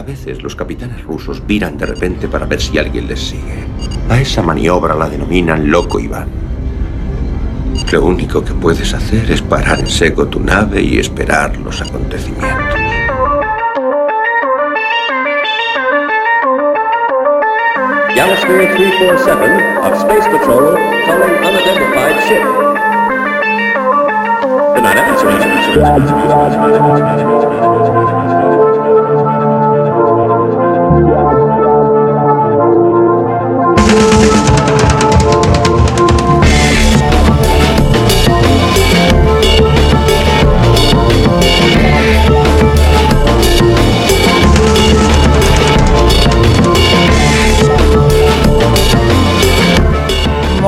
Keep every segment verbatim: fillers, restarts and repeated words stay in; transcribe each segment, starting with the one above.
veces los capitanes rusos viran de repente para ver si alguien les sigue. A esa maniobra la denominan Loco Iván. Lo único que puedes hacer es parar en seco tu nave y esperar los acontecimientos. Galaxy three forty-seven of Space Patrol calling unidentified ship. Good night,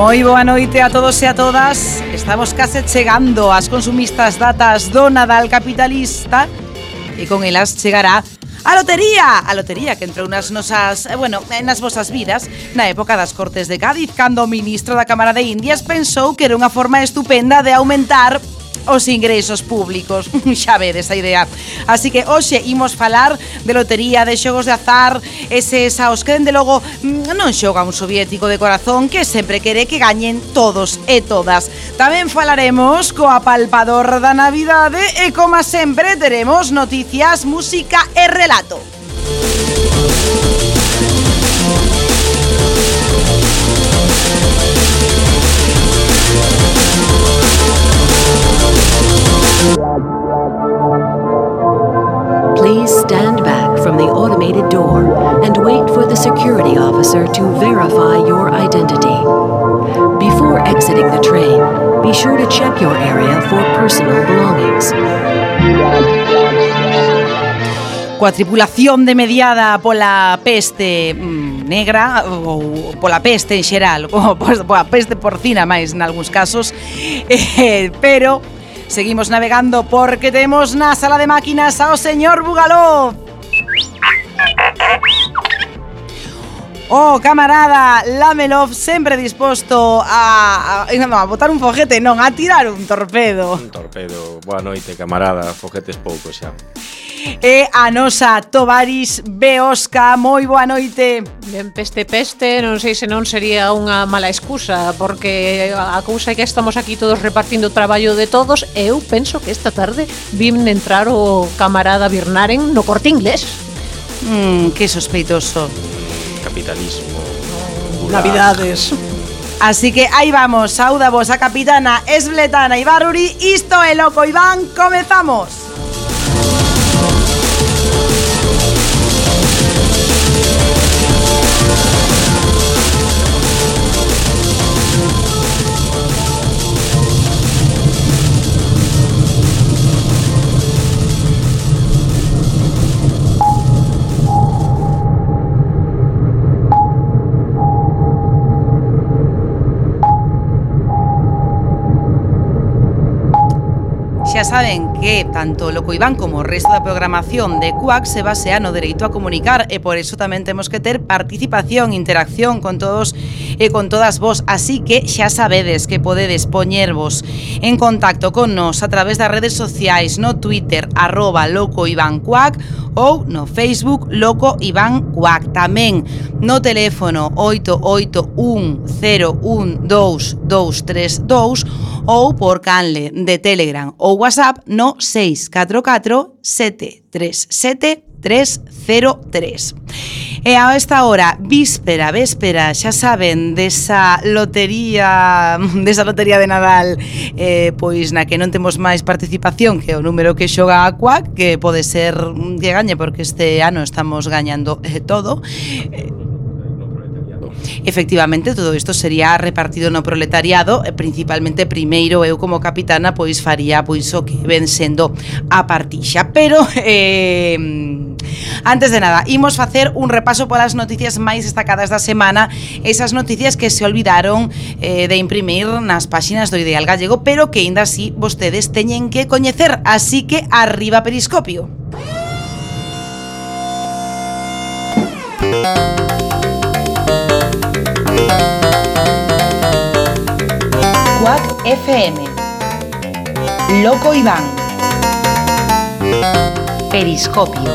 Moi boa noite a todos e a todas. Estamos case chegando ás consumistas datas do Nadal capitalista e con elas chegará a lotería, a lotería que entrou nas nosas, bueno, nas vosas vidas na época das Cortes de Cádiz, cando o ministro da Cámara de Indias pensou que era unha forma estupenda de aumentar os ingresos públicos. Xa vedes a idea. Así que hoxe imos falar de lotería, de xogos de azar, eses aos que dende logo non xoga un soviético de corazón que sempre quere que gañen todos e todas. Tamén falaremos co apalpador da Navidade e, como sempre, teremos noticias, música e relato. Please stand back from the automated door and wait for the security officer to verify your identity. Before exiting the train, be sure to check your area for personal belongings. Coa tripulación de mediada pola peste mmm, negra ou pola peste en xeral, ou pola peste porcina máis nalgúns casos, eh, pero seguimos navegando porque temos na sala de máquinas ao señor Bugalov. Oh, camarada Lamelov, sempre disposto a, a, no, a botar un foguete, non, a tirar un torpedo. Un torpedo. Boa noite, camarada, foguetes pouco xa. E a nosa Tovaris Beosca, moi boa noite. Ben, peste, peste, non sei se non sería unha mala excusa, porque a cousa é que estamos aquí todos repartindo o traballo de todos, e eu penso que esta tarde vim entrar o camarada Birnaren no Corte Inglés. Mmm, que sospeitoso. Capitalismo. Navidades. Así que aí vamos, sauda vos a capitana Esbletana Ibarruri. Isto é Loco Iván, comezamos. Xa saben que tanto Loco Iván como o resto da programación de Quack se basea no dereito a comunicar e por eso tamén temos que ter participación, interacción con todos e con todas vos, así que xa sabedes que podedes poñervos en contacto con nos a través das redes sociais, no Twitter arroba Loco Iván Quack ou no Facebook Loco Iván Quack, tamén no teléfono oito oito un cero un dous dous tres dous ou por canle de Telegram ou WhatsApp no seis catro catro sete tres sete tres cero tres. E a esta hora, víspera, véspera, xa saben, desa lotería, desa lotería de Nadal, eh, pois na que non temos máis participación que o número que xoga a Quack, que pode ser que gañe, porque este ano estamos gañando eh, todo. Eh, Efectivamente, todo isto sería repartido no proletariado, principalmente primeiro eu como capitana pois faría pois o que ven sendo a partixa, pero eh, antes de nada, imos facer un repaso polas noticias máis destacadas da semana, esas noticias que se olvidaron eh, de imprimir nas páxinas do Ideal Gallego, pero que aínda así vostedes teñen que coñecer, así que arriba Periscopio. Quack F M, Loco Iván, Periscopio.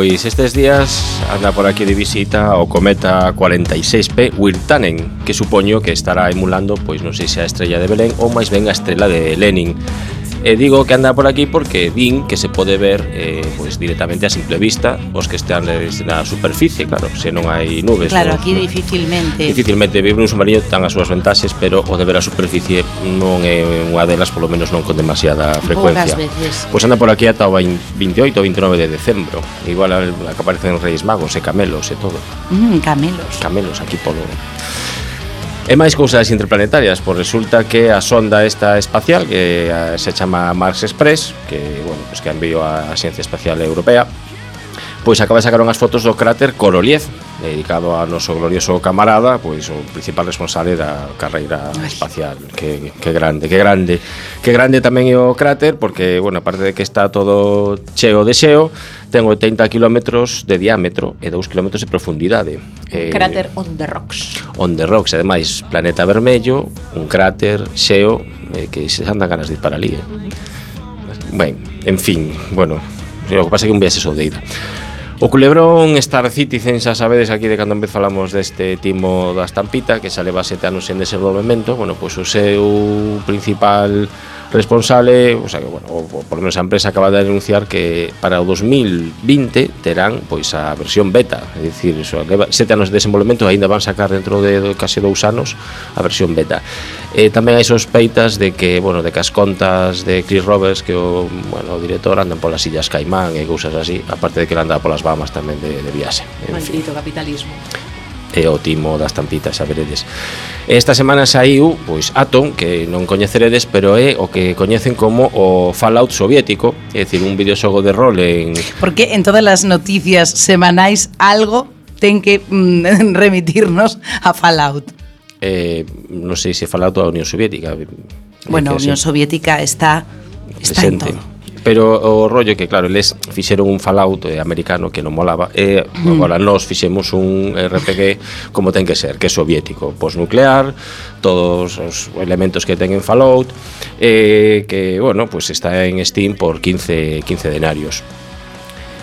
pois estes días anda por aquí de visita o cometa cuarenta e seis P Wirtanen, que supoño que estará emulando, pois non sei se a estrella de Belén ou máis ben a estrela de Lenin. E digo que anda por aquí porque vin que se pode ver eh, pois directamente a simple vista os que están na superficie, claro, se non hai nubes. Claro, no, aquí no, dificilmente. Dificilmente vivir nun submarino ten as súas vantaxes, pero o de ver a superficie non é unha delas, polo menos non con demasiada frecuencia. Poucas veces. Pois anda por aquí ata o veintioito ou veintinueve de decembro. Igual a que aparecen Reis Magos e camelos e todo. Mm, camelos. Camelos aquí polo... E máis cousas interplanetarias, pois resulta que a sonda esta espacial que se chama Mars Express, que, bueno, pues que enviou a Axencia Espacial Europea, pois acaba de sacar unhas fotos do cráter Korolev, dedicado ao noso glorioso camarada, pois o principal responsable da carreira espacial. Que, que grande, que grande. Que grande tamén é o cráter, porque, bueno, aparte de que está todo cheo de xeo, ten oitenta kilómetros de diámetro e dous kilómetros de profundidade. Eh, cráter on the rocks. On the rocks, ademais, planeta vermello, un cráter xeo, eh, que se andan ganas de ir para ali. Eh. Ben, en fin, bueno, o que pasa é que un viaxe soldeiro. O culebrón Star Citizen, xa sabedes aquí de cando en vez falamos deste timo da estampita, que xa leva sete anos en desenvolvemento, bueno, pois o seu principal responsable, o sea que, bueno, o, o por lo menos a empresa acaba de anunciar que para o dos mil vinte terán pois a versión beta, é dicir, eso, leva sete anos de desenvolvemento, ainda van sacar dentro de case dous anos a versión beta. E tamén hai sospeitas de que, bueno, de que as contas de Chris Roberts, que o, bueno, o director, andan polas Illas Caimán e cousas así, aparte de que ele anda polas Bahamas tamén de, de viaxe. Maldito capitalismo. E o timo das tampitas, xa veredes. Esta semana saiu, pois, Atom, que non coñeceredes, pero é o que coñecen como o Fallout soviético, é dicir, un videoxogo de rol en... Porque en todas as noticias semanais algo ten que mm, remitirnos a Fallout. Eh, non sei se Fallout a Unión Soviética. Bueno, a Unión Soviética está, está en todo. Pero o rollo que, claro, eles fixeron un Fallout eh, americano que non molaba e mm. agora nós fixemos un R P G como ten que ser, que é soviético, posnuclear, todos os elementos que ten en Fallout, eh, que, bueno, pues está en Steam por quince denarios.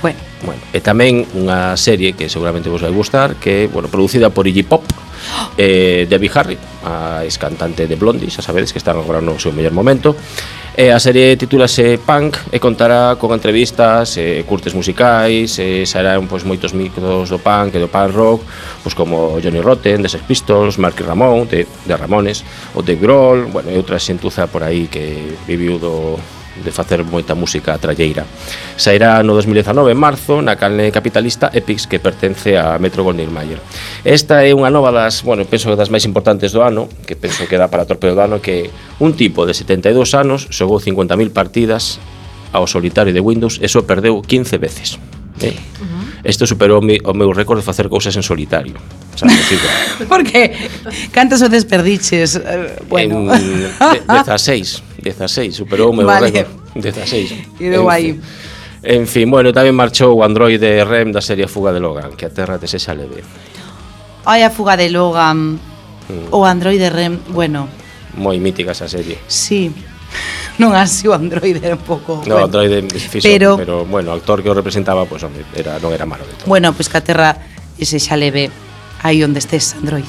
Bueno. Bueno, e tamén unha serie que seguramente vos vai gustar, que é, bueno, producida por Iggy Pop, eh, Debbie Harry, a ex-cantante de Blondie, xa sabedes que están agora no seu mellor momento. E a serie titúlase Punk e contará con entrevistas, e curtes musicais, e sairán pois moitos micros do punk e do punk rock, pois como Johnny Rotten, de Sex Pistols, Marky Ramone, de, de Ramones, o Dave Grohl, bueno, e outra xentuza por aí que viviu do de facer moita música tralleira. Sairá no dos mil dezanove en marzo na canle capitalista Epix, que pertence a Metro-Goldwyn-Mayer. Esta é unha nova das, bueno, penso que das máis importantes do ano, que penso que dá para torpedo do ano, que un tipo de setenta e dous anos xogou cincuenta mil partidas ao solitario de Windows e só perdeu quince veces. Eh? Uh-huh. Isto superou o meu récord de facer cousas en solitario. Sabes, porque cantas veces perdiches? Uh, bueno, en dezasseis, dezasseis, superou o meu vale. récord. dezasseis. Quedou aí. En fin, bueno, tamén marchou o Android de R E M da serie Fuga de Logan, que a terra te se xa leve. Ai, a Fuga de Logan. Mm. O Android de R E M, bueno. Moi mítica esa serie. Sí. Non así o Android era un pouco... No, bueno. Android fixo, pero, pero, bueno, o actor que o representaba, pues, hombre, era, non era malo de todo. Bueno, pois pues, que a terra ese xa leve aí onde estés, Android.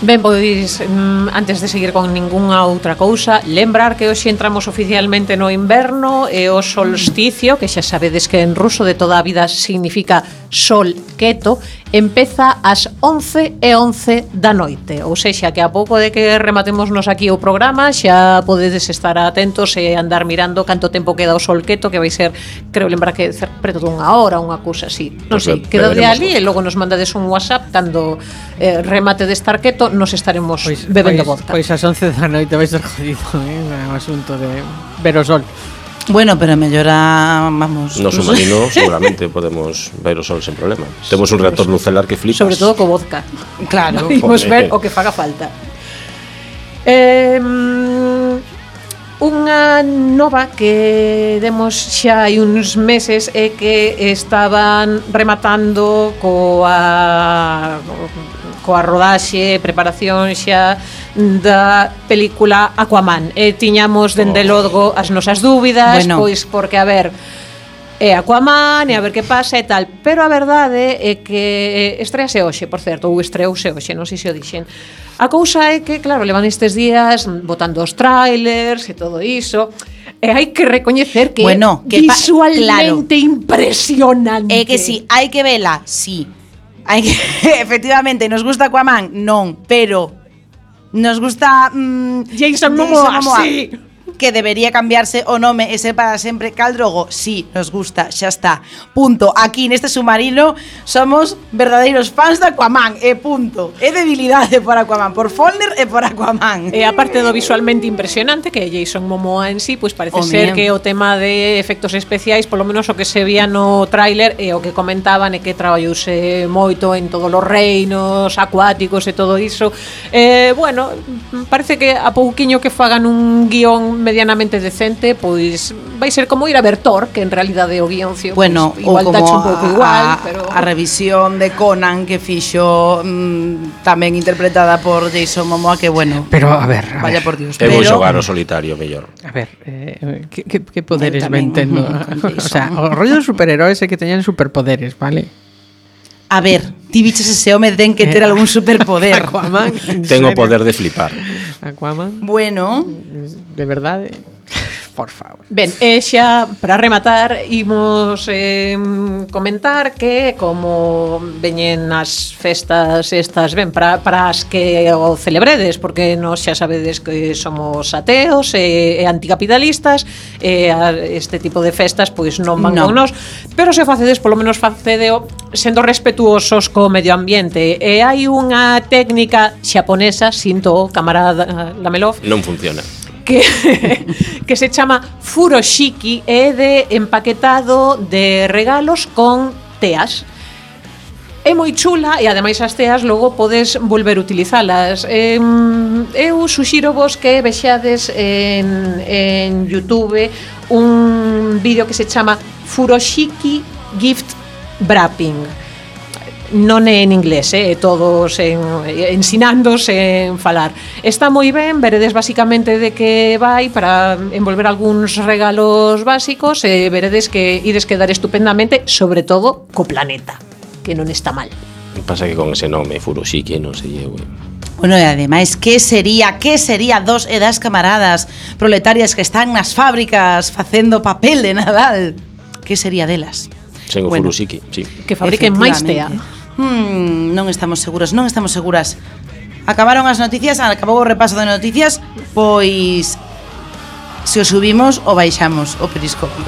Ben, pois, antes de seguir con ningunha outra cousa, lembrar que hoxe entramos oficialmente no inverno e o solsticio, que xa sabedes que en ruso de toda a vida significa sol quieto, empeza ás once e once da noite. Ou sexa, que a pouco de que rematémonos aquí o programa, xa podedes estar atentos e andar mirando canto tempo queda o sol quieto, que vai ser, creo lembrar que preto dunha hora, unha cousa así. Non sei, queda de ali e logo nos mandades un WhatsApp cando eh, remate de estar quieto, nos estaremos pois, bebendo pois, vodka. Pois ás once da noite vai ser jodido, eh, o asunto de ver o sol. Bueno, pero mellora, vamos... No submarino seguramente podemos ver o sol sen problema. Temos un reactor nucelar que flipas. Sobre todo co vodka. Claro. Podemos ver o que faga falta. Eh, unha nova que demos xa hai uns meses é que estaban rematando coa coa rodaxe, preparación xa da película Aquaman. E tiñamos dende logo as nosas dúbidas, Bueno. pois porque a ver, é Aquaman e a ver que pasa e tal, pero a verdade é que estrease hoxe, por certo, ou estreouse hoxe, non sei se o dixen. A cousa é que, claro, levan estes días botando os trailers e todo iso, e hai que recoñecer que Bueno, é que pa- visualmente impresionante. É que si, hai que vela, sí. Hai que, efectivamente, nos gusta Aquaman, non, pero nos gusta mm, Jason Momoa, sí. Que debería cambiarse o nome e ser para sempre Khal Drogo, sí, nos gusta, xa está. Punto. Aquí neste submarino somos verdadeiros fans de Aquaman, e punto. É debilidade por Aquaman, por Folner e por Aquaman. E aparte do visualmente impresionante que é Jason Momoa en sí, pois parece O ser mío. que o tema de efectos especiais, polo menos o que se vía no tráiler e o que comentaban é que traballouse moito en todos os reinos acuáticos e todo iso. Eh, bueno, parece que a pouquiño que fagan un guión medianamente decente, pois vai ser como ir a ver Thor, que en realidade o guioncio Bueno, pois, igual ou tacho como un pouco a, igual, a, pero a revisión de Conan que fixo mm, tamén interpretada por Jason Momoa, que bueno, Pero, a ver, a vaya ver, por Dios. Eu vou Pero- xogar o solitario mellor. a ver, eh, que, que, que poderes Eu ben tamén, tendo? con O sea, o rollo dos superheróis é que teñan superpoderes, vale? A ver, ti biches ese home den que ter algún superpoder. Aquaman, en Tengo serio? poder de flipar. Aquaman, Bueno, de verdade, por favor. Ben, e xa para rematar imos eh, comentar que como veñen as festas estas, ben, para, para as que o celebredes, porque nós xa sabedes que somos ateos e, e anticapitalistas, e a, este tipo de festas pois non van No. con nós, pero se facedes, polo menos facedeo sendo respetuosos co medio ambiente. E hai unha técnica xaponesa, sinto o camarada Lamelov, Non funciona. que, que se chama furoshiki, é de empaquetado de regalos con teas. É moi chula e ademais as teas logo podes volver a utilizalas. Eh, eu suxiro vos que vexades en, en YouTube un vídeo que se chama Furoshiki Gift Wrapping. Non é en inglés, eh, todos en, ensinándose en falar. Está moi ben, veredes basicamente de que vai para envolver algúns regalos básicos e veredes que ides quedar estupendamente, sobre todo co planeta, que non está mal. Pasa que con ese nome Furoshiki non sei eu. eh. bueno, e ademais, que sería, que sería dos e das camaradas proletarias que están nas fábricas facendo papel de Nadal? Que sería delas? Sen o Bueno. Furoshiki, sí. Que fabriquen máis tea. Hmm, non estamos seguras, non estamos seguras. Acabaron as noticias, acabou o repaso de noticias, pois se o subimos ou baixamos o periscopio.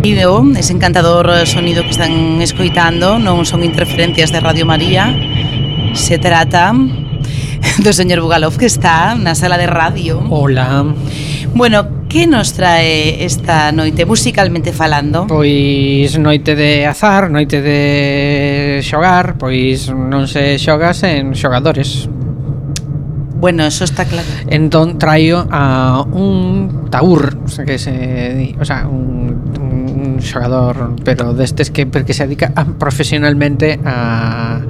Vídeo, ese encantador sonido que están escoitando non son interferencias de Radio María. Se trata do señor Bugalov, que está na sala de radio. Hola. Bueno, que nos trae esta noite musicalmente falando? Pois noite de azar, noite de xogar, pois non se xoga sen xogadores. Bueno, eso está claro. Entón traio a un taur, o sea, que se di, o sea, un, un xogador, pero destes que que se dedica a, profesionalmente a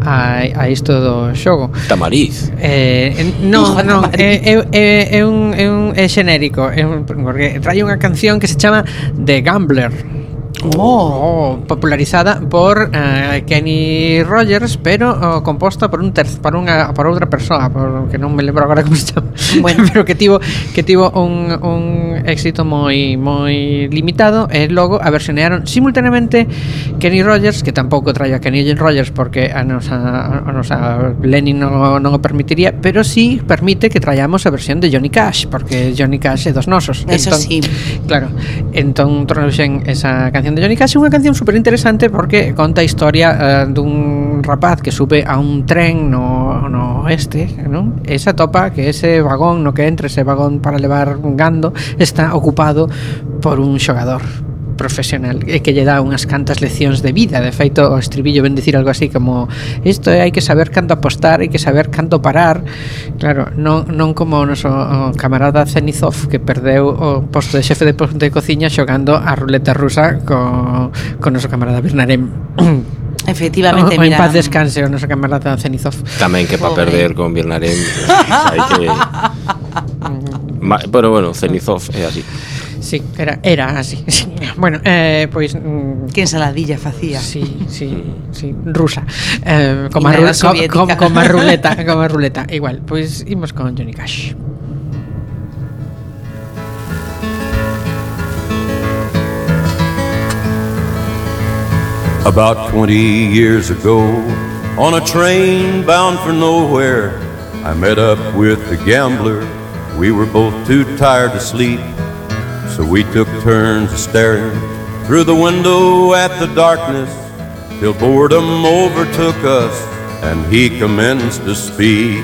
a a isto do xogo. Tamariz. Eh, en- non, Hijo de non, Madrid. é, é, é un é un é xenérico, é un, porque traio unha canción que se chama The Gambler. Oh, popularizada por uh, Kenny Rogers, pero uh, composta por un ter por unha por outra persoa, por que non me lembro agora como se chama. Bueno, pero que tivo que tivo un, un éxito moi moi limitado e logo a versionearon simultaneamente Kenny Rogers, que tampouco traio a Kenny Rogers porque a nosa a nosa Lenin non, non o permitiría, pero sí permite que traíamos a versión de Johnny Cash, porque Johnny Cash é dos nosos. Eso entón, sí. Claro. Entón trouxen esa canción de Johnny Cash, unha canción super interesante porque conta a historia uh, dun rapaz que sube a un tren no, no oeste, non? E se atopa que ese vagón no que entra, ese vagón para levar un gando, está ocupado por un xogador profesional e que lle dá unhas cantas leccións de vida. De feito, o estribillo ven dicir algo así como isto é, hai que saber canto apostar, hai que saber canto parar. Claro, non, non como o noso o camarada Zenizov, que perdeu o posto de xefe de, de cociña xogando a ruleta rusa co, co noso camarada Birnarem. Efectivamente, o, o mira. en paz descanse o noso camarada Zenizov. Tamén que para perder con Birnarem hai que... Ma, pero bueno, Zenizov é así. Sí, era, era así. Sí. Bueno, eh, pois mm, que ensaladilla facía. Sí, sí, sí, rusa. Eh, como, a ru como, como, como a ruleta, como a ruleta, igual. Pois imos con Johnny Cash. About twenty years ago, on a train bound for nowhere, I met up with a gambler. We were both too tired to sleep, so we took turns staring through the window at the darkness till boredom overtook us and he commenced to speak.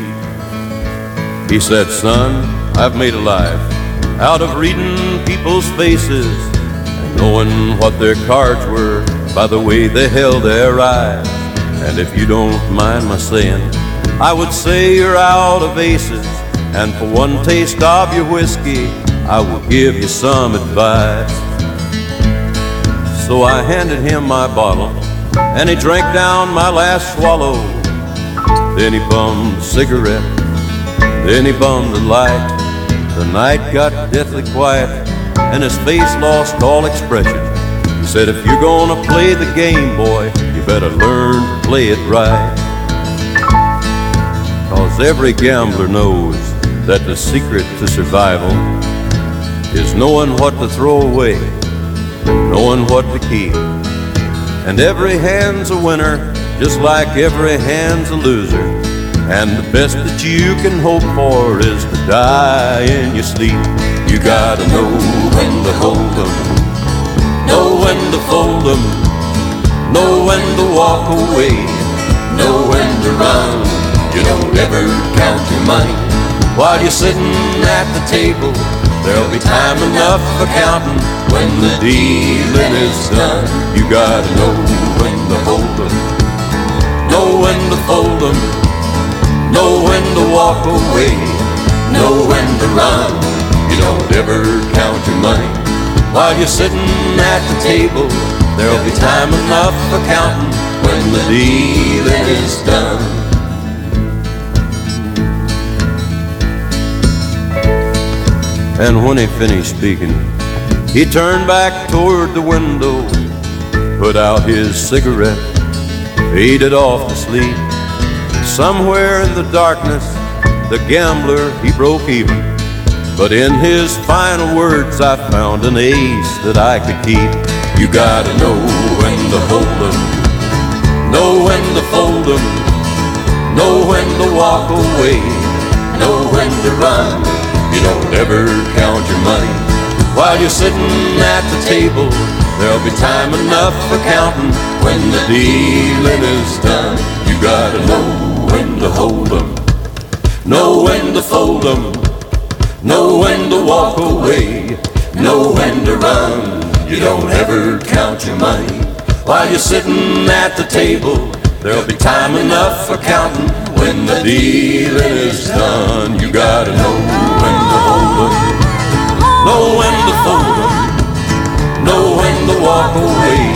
He said, son, I've made a life out of reading people's faces and knowing what their cards were by the way they held their eyes. And if you don't mind my saying, I would say you're out of aces, and for one taste of your whiskey I will give you some advice. So I handed him my bottle, and he drank down my last swallow. Then he bummed a cigarette, then he bummed the light. The night got deathly quiet, and his face lost all expression. He said, if you're gonna play the game, boy, you better learn to play it right. 'Cause every gambler knows that the secret to survival is knowing what to throw away, knowing what to keep. And every hand's a winner, just like every hand's a loser. And the best that you can hope for is to die in your sleep. You gotta know when to hold 'em, know when to fold 'em, know when to walk away, know when to run. You don't ever count your money while you're sitting at the table. There'll be time enough for counting when the dealing is done. You gotta know when to hold 'em, know when to fold 'em, know when to walk away, know when to run. You don't ever count your money while you're sitting at the table. There'll be time enough for counting when the dealing is done. And when he finished speaking, he turned back toward the window, put out his cigarette, faded off to sleep. Somewhere in the darkness, the gambler, he broke even. But in his final words, I found an ace that I could keep. You gotta know when to hold 'em, know when to fold 'em, know when to walk away, know when to run. You don't ever count your money while you're sitting at the table. There'll be time enough for counting when the dealing is done. You gotta know when to hold 'em, know when to fold 'em, know when to walk away, know when to run. You don't ever count your money while you're sitting at the table. There'll be time enough for counting when the dealing is done. You gotta know when to hold 'em, know when to fold 'em, know when to walk away,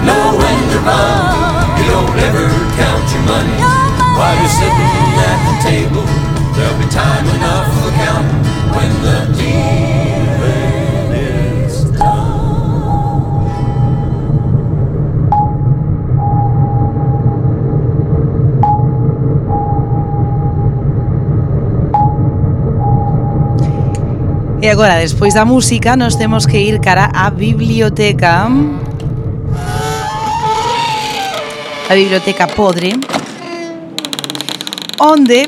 know when to run. You don't ever count your money while you're sitting at the table. There'll be time enough for counting when the dealing is done. E agora, despois da música, nos temos que ir cara á biblioteca. A biblioteca podre, onde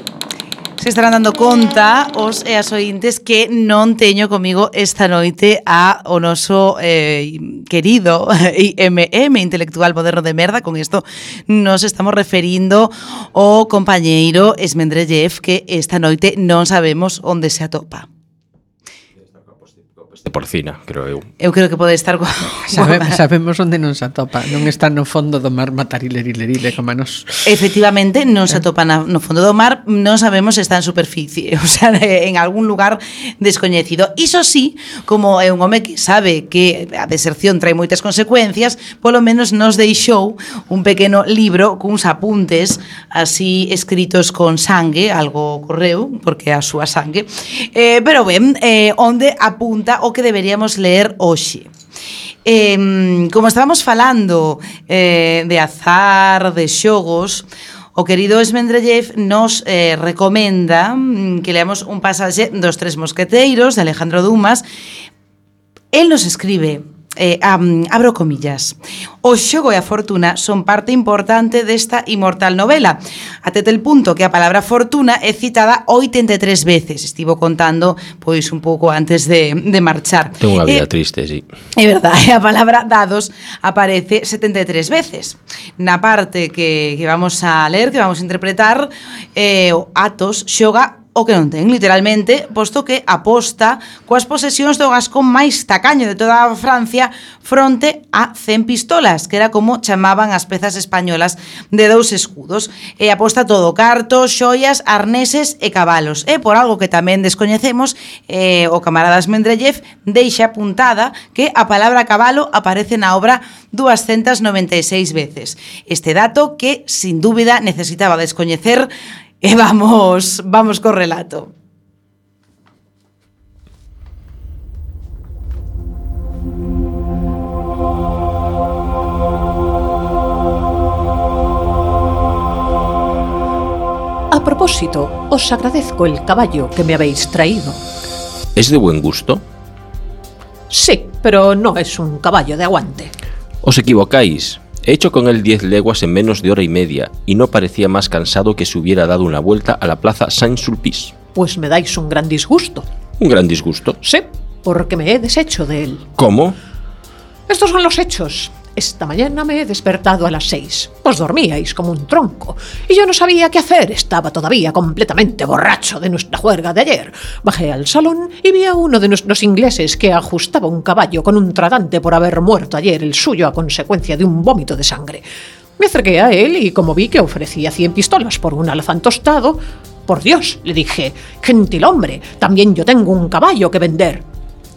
se estarán dando conta os e as ointes que non teño comigo esta noite a o noso eh, querido I M M, intelectual moderno de merda. Con isto nos estamos referindo ao compañeiro Esmendrellev, que esta noite non sabemos onde se atopa. De porcina, creo eu. Eu creo que pode estar... Sabe, sabemos onde non se atopa. Non está no fondo do mar matarilerile como a nos. Efectivamente, non se atopa na, no fondo do mar. Non sabemos se está en superficie, o sea, en algún lugar descoñecido. Iso sí, como é un home que sabe que a deserción trae moitas consecuencias, polo menos nos deixou un pequeno libro cuns apuntes así escritos con sangue, algo correu, porque é a súa sangue, eh, pero ben, eh, onde apunta o que deberíamos ler hoxe. Eh, como estábamos falando eh, de azar, de xogos, o querido Esmendrellev nos eh, recomenda que leamos un pasaxe dos Tres Mosqueteiros de Alejandro Dumas. El nos escribe, eh, um, abro comillas: o xogo e a fortuna son parte importante desta inmortal novela, até tal punto que a palabra fortuna é citada oitenta e tres veces. Estivo contando pois un pouco antes de, de marchar. Tengo unha vida eh, triste, sí. É verdade, a palabra dados aparece setenta e tres veces. Na parte que, que vamos a ler, que vamos a interpretar, eh, Athos xoga o que non ten, literalmente, posto que aposta coas posesións do gascón máis tacaño de toda a Francia fronte a cen pistolas, que era como chamaban as pezas españolas de dous escudos. E aposta todo, cartos, xoias, arneses e cabalos. E por algo que tamén descoñecemos, eh, o camarada Esmendrellev deixa apuntada que a palabra cabalo aparece na obra doscientas noventa e seis veces. Este dato que, sin dúbida, necesitaba descoñecer. E vamos, vamos co relato. A propósito, os agradezco el caballo que me habéis traído. ¿Es de buen gusto? Sí, pero no es un caballo de aguante. Os equivocáis. He hecho con él diez leguas en menos de hora y media y no parecía más cansado que si hubiera dado una vuelta a la plaza Saint-Sulpice. Pues me dais un gran disgusto. ¿Un gran disgusto? Sí, porque me he deshecho de él. ¿Cómo? Estos son los hechos. Esta mañana me he despertado a las seis. Vos dormíais como un tronco. Y yo no sabía qué hacer. Estaba todavía completamente borracho de nuestra juerga de ayer. Bajé al salón y vi a uno de nuestros ingleses que ajustaba un caballo con un tratante por haber muerto ayer el suyo a consecuencia de un vómito de sangre. Me acerqué a él y como vi que ofrecía cien pistolas por un alazán tostado, por Dios, le dije, gentil hombre, también yo tengo un caballo que vender.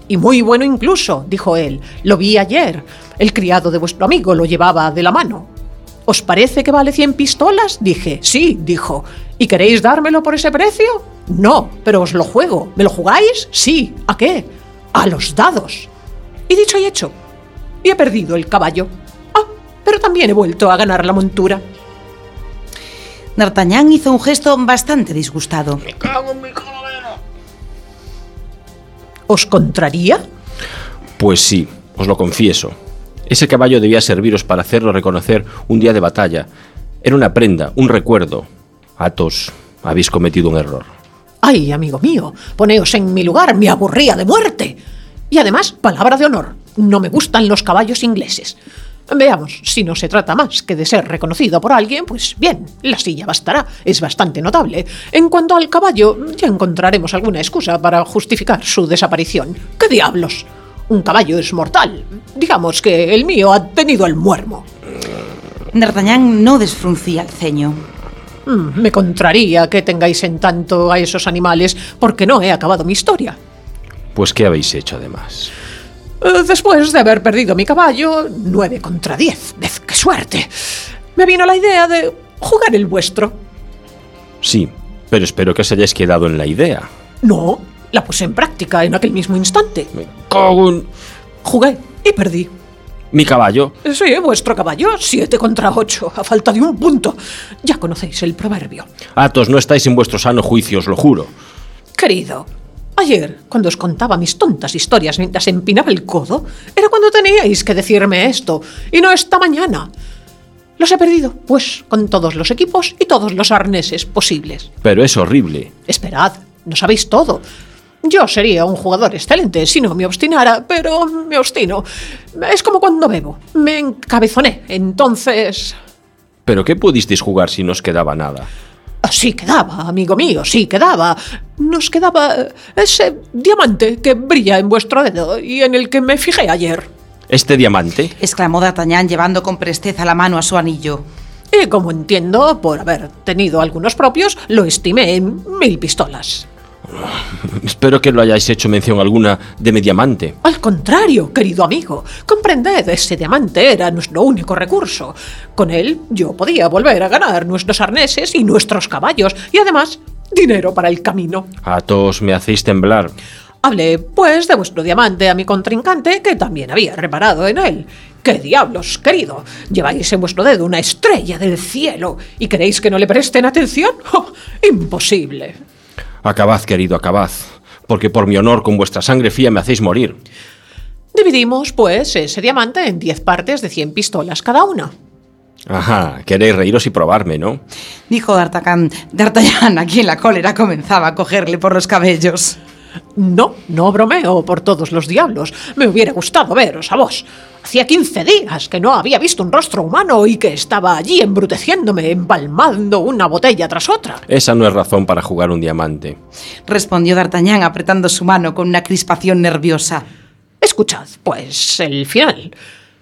Y muy bueno incluso, dijo él, lo vi ayer. El criado de vuestro amigo lo llevaba de la mano. ¿Os parece que vale cien pistolas? Dije, sí, dijo. ¿Y queréis dármelo por ese precio? No, pero os lo juego. ¿Me lo jugáis? Sí. ¿A qué? A los dados. Y dicho y hecho. Y he perdido el caballo. Ah, pero también he vuelto a ganar la montura. D'Artagnan hizo un gesto bastante disgustado. ¡Me cago en mi calavera! ¿Os contraría? Pues sí, os lo confieso. Ese caballo debía serviros para hacerlo reconocer un día de batalla. Era una prenda, un recuerdo. Athos, habéis cometido un error. Ay, amigo mío, poneos en mi lugar, me aburría de muerte. Y además, palabra de honor, no me gustan los caballos ingleses. Veamos, si no se trata más que de ser reconocido por alguien, pues bien, la silla bastará, es bastante notable. En cuanto al caballo, ya encontraremos alguna excusa para justificar su desaparición. ¿Qué diablos? Un caballo es mortal. Digamos que el mío ha tenido el muermo. D'Artagnan no desfruncía el ceño. Mm, me contraría que tengáis en tanto a esos animales, porque no he acabado mi historia. Pues ¿qué habéis hecho además? Eh, después de haber perdido mi caballo, nueve contra diez, ¡vez qué suerte! Me vino la idea de jugar el vuestro. Sí, pero espero que os hayáis quedado en la idea. No, la puse en práctica en aquel mismo instante. Me cago en... Jugué y perdí. ¿Mi caballo? Sí, vuestro caballo, siete contra ocho, a falta de un punto. Ya conocéis el proverbio. Athos, no estáis en vuestro sano juicio, os lo juro. Querido, Ayer, cuando os contaba mis tontas historias mientras empinaba el codo, era cuando teníais que decirme esto, y no esta mañana. Los he perdido, pues, con todos los equipos y todos los arneses posibles. Pero es horrible. Esperad, no sabéis todo. Yo sería un jugador excelente si no me obstinara, pero me obstino. Es como cuando bebo. Me encabezoné, entonces... ¿Pero qué pudisteis jugar si no os quedaba nada? Sí quedaba, amigo mío, sí quedaba. Nos quedaba ese diamante que brilla en vuestro dedo y en el que me fijé ayer. ¿Este diamante? Exclamó D'Artagnan llevando con presteza la mano a su anillo. Y como entiendo, por haber tenido algunos propios, lo estimé en mil pistolas. Espero que no hayáis hecho mención alguna de mi diamante. Al contrario, querido amigo, comprended, ese diamante era nuestro único recurso. Con él yo podía volver a ganar nuestros arneses y nuestros caballos, y además, dinero para el camino. Athos, me hacéis temblar. Hablé, pues, de vuestro diamante a mi contrincante, que también había reparado en él. ¡Qué diablos, querido! Lleváis en vuestro dedo una estrella del cielo, ¿y queréis que no le presten atención? ¡Oh, imposible! Acabad, querido, acabad, porque por mi honor con vuestra sangre fría me hacéis morir. Dividimos, pues, ese diamante en diez partes de cien pistolas cada una. Ajá, queréis reíros y probarme, ¿no? Dijo D'Artagnan, D'Artagnan, a quien la cólera comenzaba a cogerle por los cabellos. No, no bromeo por todos los diablos. Me hubiera gustado veros a vos. Hacía quince días que no había visto un rostro humano y que estaba allí embruteciéndome, empalmando una botella tras otra. Esa no es razón para jugar un diamante. Respondió D'Artagnan apretando su mano con una crispación nerviosa. Escuchad, pues, el final.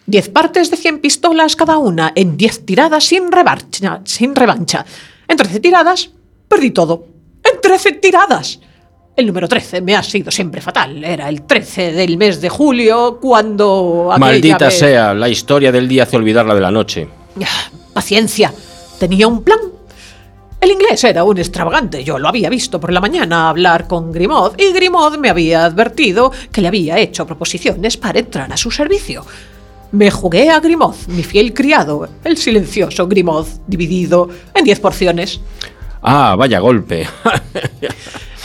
Diez partes de cien pistolas cada una en diez tiradas sin revancha. Sin revancha. En trece tiradas, perdí todo. ¡En trece tiradas! El número trece me ha sido siempre fatal. Era el trece del mes de julio, cuando... Maldita vez... sea, la historia del día hace olvidar la de la noche. Paciencia, tenía un plan. El inglés era un extravagante. Yo lo había visto por la mañana hablar con Grimaud, y Grimaud me había advertido que le había hecho proposiciones para entrar a su servicio. Me jugué a Grimaud, mi fiel criado, el silencioso Grimaud, dividido en diez porciones. Ah, vaya golpe.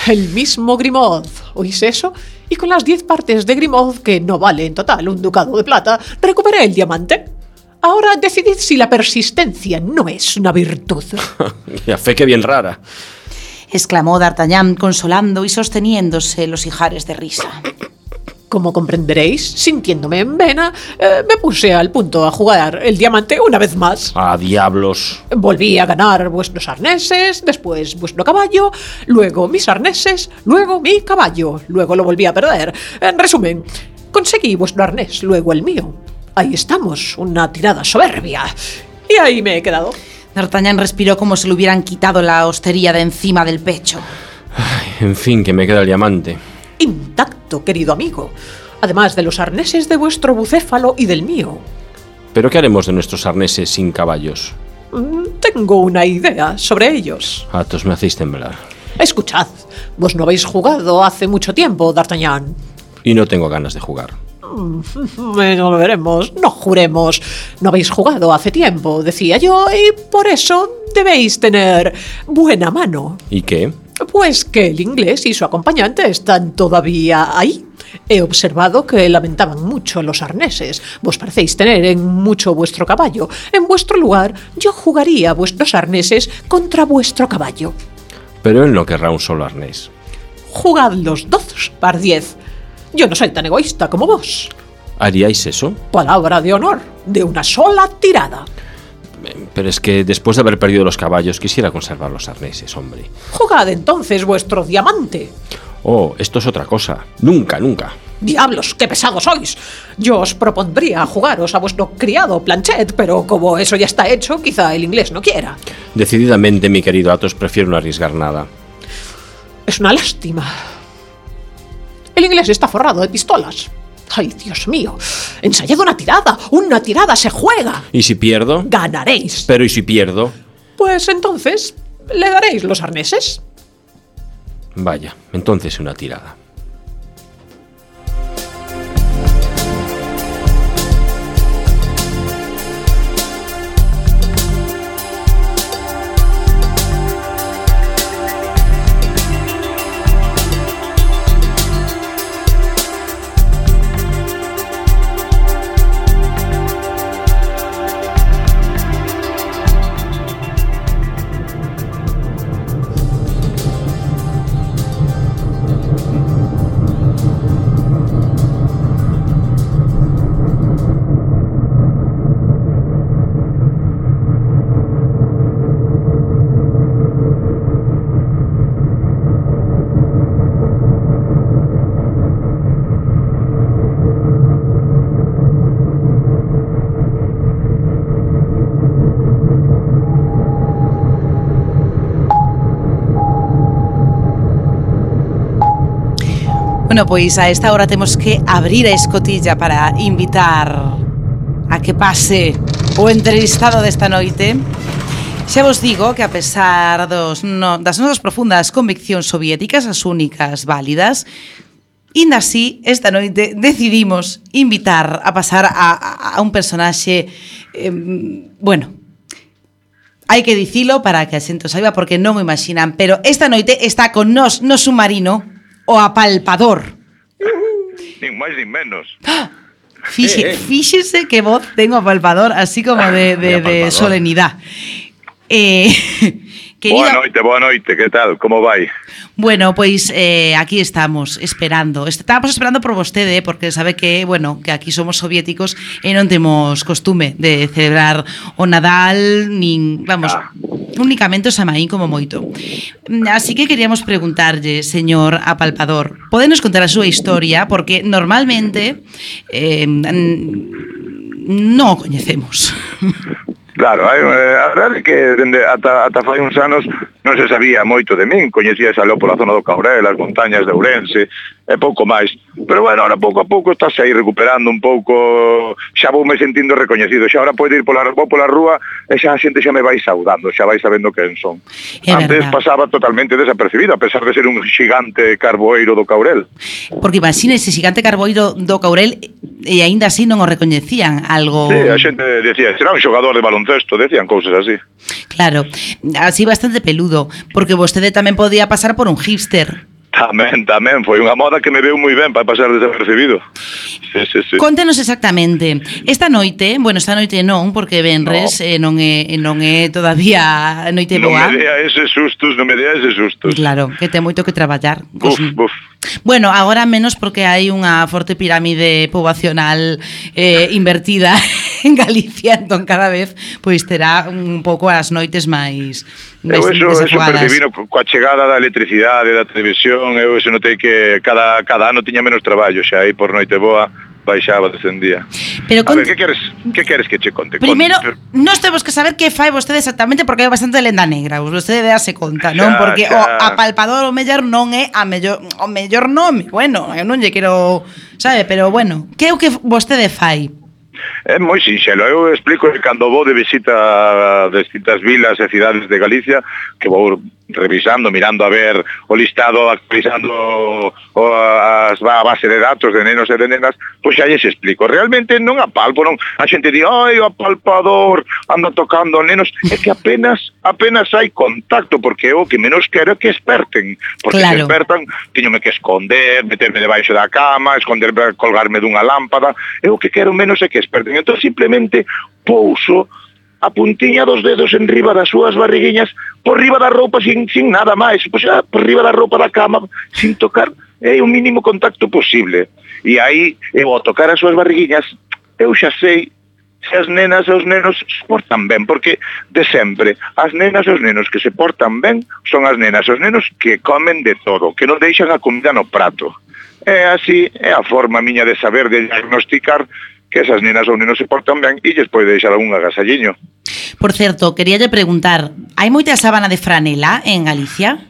El mismo Grimaud, ¿oís eso? Y con las diez partes de Grimaud, que no vale en total un ducado de plata, recuperé el diamante. Ahora decidid si la persistencia no es una virtud. Y a fe que bien rara. Exclamó D'Artagnan, consolando y sosteniéndose los ijares de risa. Como comprenderéis, sintiéndome en vena, eh, me puse al punto a jugar el diamante una vez más. ¡Ah, diablos! Volví a ganar vuestros arneses, después vuestro caballo, luego mis arneses, luego mi caballo, luego lo volví a perder. En resumen, conseguí vuestro arnés, luego el mío. Ahí estamos, una tirada soberbia. Y ahí me he quedado. D'Artagnan respiró como si le hubieran quitado la hostería de encima del pecho. Ay, en fin, que me queda el diamante. Intacto, querido amigo, además de los arneses de vuestro bucéfalo y del mío. ¿Pero qué haremos de nuestros arneses sin caballos? Tengo una idea sobre ellos. Athos, me hacéis temblar. Escuchad, vos no habéis jugado hace mucho tiempo, D'Artagnan. Y no tengo ganas de jugar. Bueno, lo veremos, no juremos. No habéis jugado hace tiempo, decía yo, y por eso debéis tener buena mano. ¿Y qué? Pues que el inglés y su acompañante están todavía ahí. He observado que lamentaban mucho los arneses. Vos parecéis tener en mucho vuestro caballo. En vuestro lugar, yo jugaría vuestros arneses contra vuestro caballo. Pero él no querrá un solo arnés. Jugad los dos par diez. Yo no soy tan egoísta como vos. ¿Haríais eso? Palabra de honor, de una sola tirada. Pero es que después de haber perdido los caballos quisiera conservar los arneses, hombre. Jugad entonces vuestro diamante. Oh, esto es otra cosa. Nunca, nunca. ¡Diablos, qué pesados sois! Yo os propondría jugaros a vuestro criado Planchet, pero como eso ya está hecho, quizá el inglés no quiera. Decididamente, mi querido Athos, prefiero no arriesgar nada. Es una lástima. El inglés está forrado de pistolas. ¡Ay, Dios mío! ¡Ensayad una tirada! ¡Una tirada se juega! ¿Y si pierdo? ¡Ganaréis! ¿Pero y si pierdo? Pues entonces, ¿le daréis los arneses? Vaya, entonces una tirada. Bueno, pois a esta hora temos que abrir a escotilla para invitar a que pase o entrevistado desta noite. Xa vos digo que a pesar dos, no, das nosas profundas conviccións soviéticas, as únicas válidas, inda así, esta noite decidimos invitar a pasar a, a un personaxe, eh, bueno, hai que dicilo para que a xente o saiba porque non o imaginan, pero esta noite está con nós no submarino o apalpador. Nin máis nin menos. Fixe, fíxese que voz ten o apalpador, así como de, de, de solenidade. Eh, querido, boa noite, boa noite, que tal? Como vai? Bueno, pois eh, aquí estamos esperando. Estábamos esperando por vostede, porque sabe que, bueno, que aquí somos soviéticos e non temos costume de celebrar o Nadal, nin, vamos, ah. únicamente o Samaín como moito. Así que queríamos preguntarlle, señor apalpador, podenos contar a súa historia, porque normalmente eh, non o coñecemos. Claro, hai, a verdade é que dende ata, ata fai uns anos non se sabía moito de min, coñecía xa lo pola zona do Caurel, as montañas de Ourense, e pouco máis. Pero bueno, ahora pouco a pouco estás aí recuperando un pouco, xa vou me sentindo recoñecido, xa ahora podo ir pola, vou pola rúa e xa a xente xa me vai saudando, xa vai sabendo quen son. É Antes verdad. pasaba totalmente desapercibido, a pesar de ser un xigante carboeiro do Caurel. Porque imagina ese xigante carboeiro do Caurel e aínda así non o recoñecían algo... Sí, a xente decía, será un xogador de baloncesto, decían cousas así. Claro, así bastante peludo, porque vostede tamén podía pasar por un hipster. Tamén, tamén, foi unha moda que me veu moi ben para pasar desapercibido. Sí, sí, sí. Conténos exactamente. Esta noite, bueno, esta noite non, porque venres no. eh, non é non é todavía noite boa. Non me dea ese sustos, non me dea ese sustos. Claro, que ten moito que traballar. Buf, buf. Bueno, agora menos porque hai unha forte pirámide poboacional eh, invertida en Galicia, entón cada vez pois terá un pouco as noites máis Eu eso, eso percibino coa chegada da electricidade, da televisión, eu eso notei que cada, cada ano tiña menos traballo, xa aí por noite boa baixaba, descendía. Pero a ver, que queres, que queres que che conte? Primeiro, Conte. nós temos que saber que fai vostede exactamente porque hai bastante lenda negra, vostede déase conta, non? Xa, Porque xa. o apalpador o mellor non é a mellor, o mellor nome, bueno, eu non lle quero, sabe, pero bueno, que é o que vostede fai? É moi sinxelo, eu explico que cando vou de visita a distintas vilas e cidades de Galicia, que vou revisando, mirando a ver o listado, actualizando o, as, a base de datos de nenos e de nenas, pois xa lles explico. Realmente non apalpo, non. A xente di, ai, o apalpador anda tocando nenos, é que apenas apenas hai contacto, porque o que menos quero é que esperten, porque claro. Se espertan, tiñome que esconder, meterme debaixo da cama, esconder, colgarme dunha lámpada, e o que quero menos é que esperten. Entón, simplemente, pouso a puntiña dos dedos en riba das súas barriguiñas, por riba da roupa, sin, sin nada máis, pois, ah, por riba da roupa da cama, sin tocar, é o mínimo contacto posible. E aí, eu ao tocar as súas barriguiñas, eu xa sei se as nenas e os nenos se portan ben, porque de sempre, as nenas e os nenos que se portan ben son as nenas e os nenos que comen de todo, que non deixan a comida no prato. É así, é a forma miña de saber, de diagnosticar que esas nenas ou nenos se portan ben e lles pode deixar algún agasalliño. Por certo, queríalle preguntar, hai moita sábana de franela en Galicia?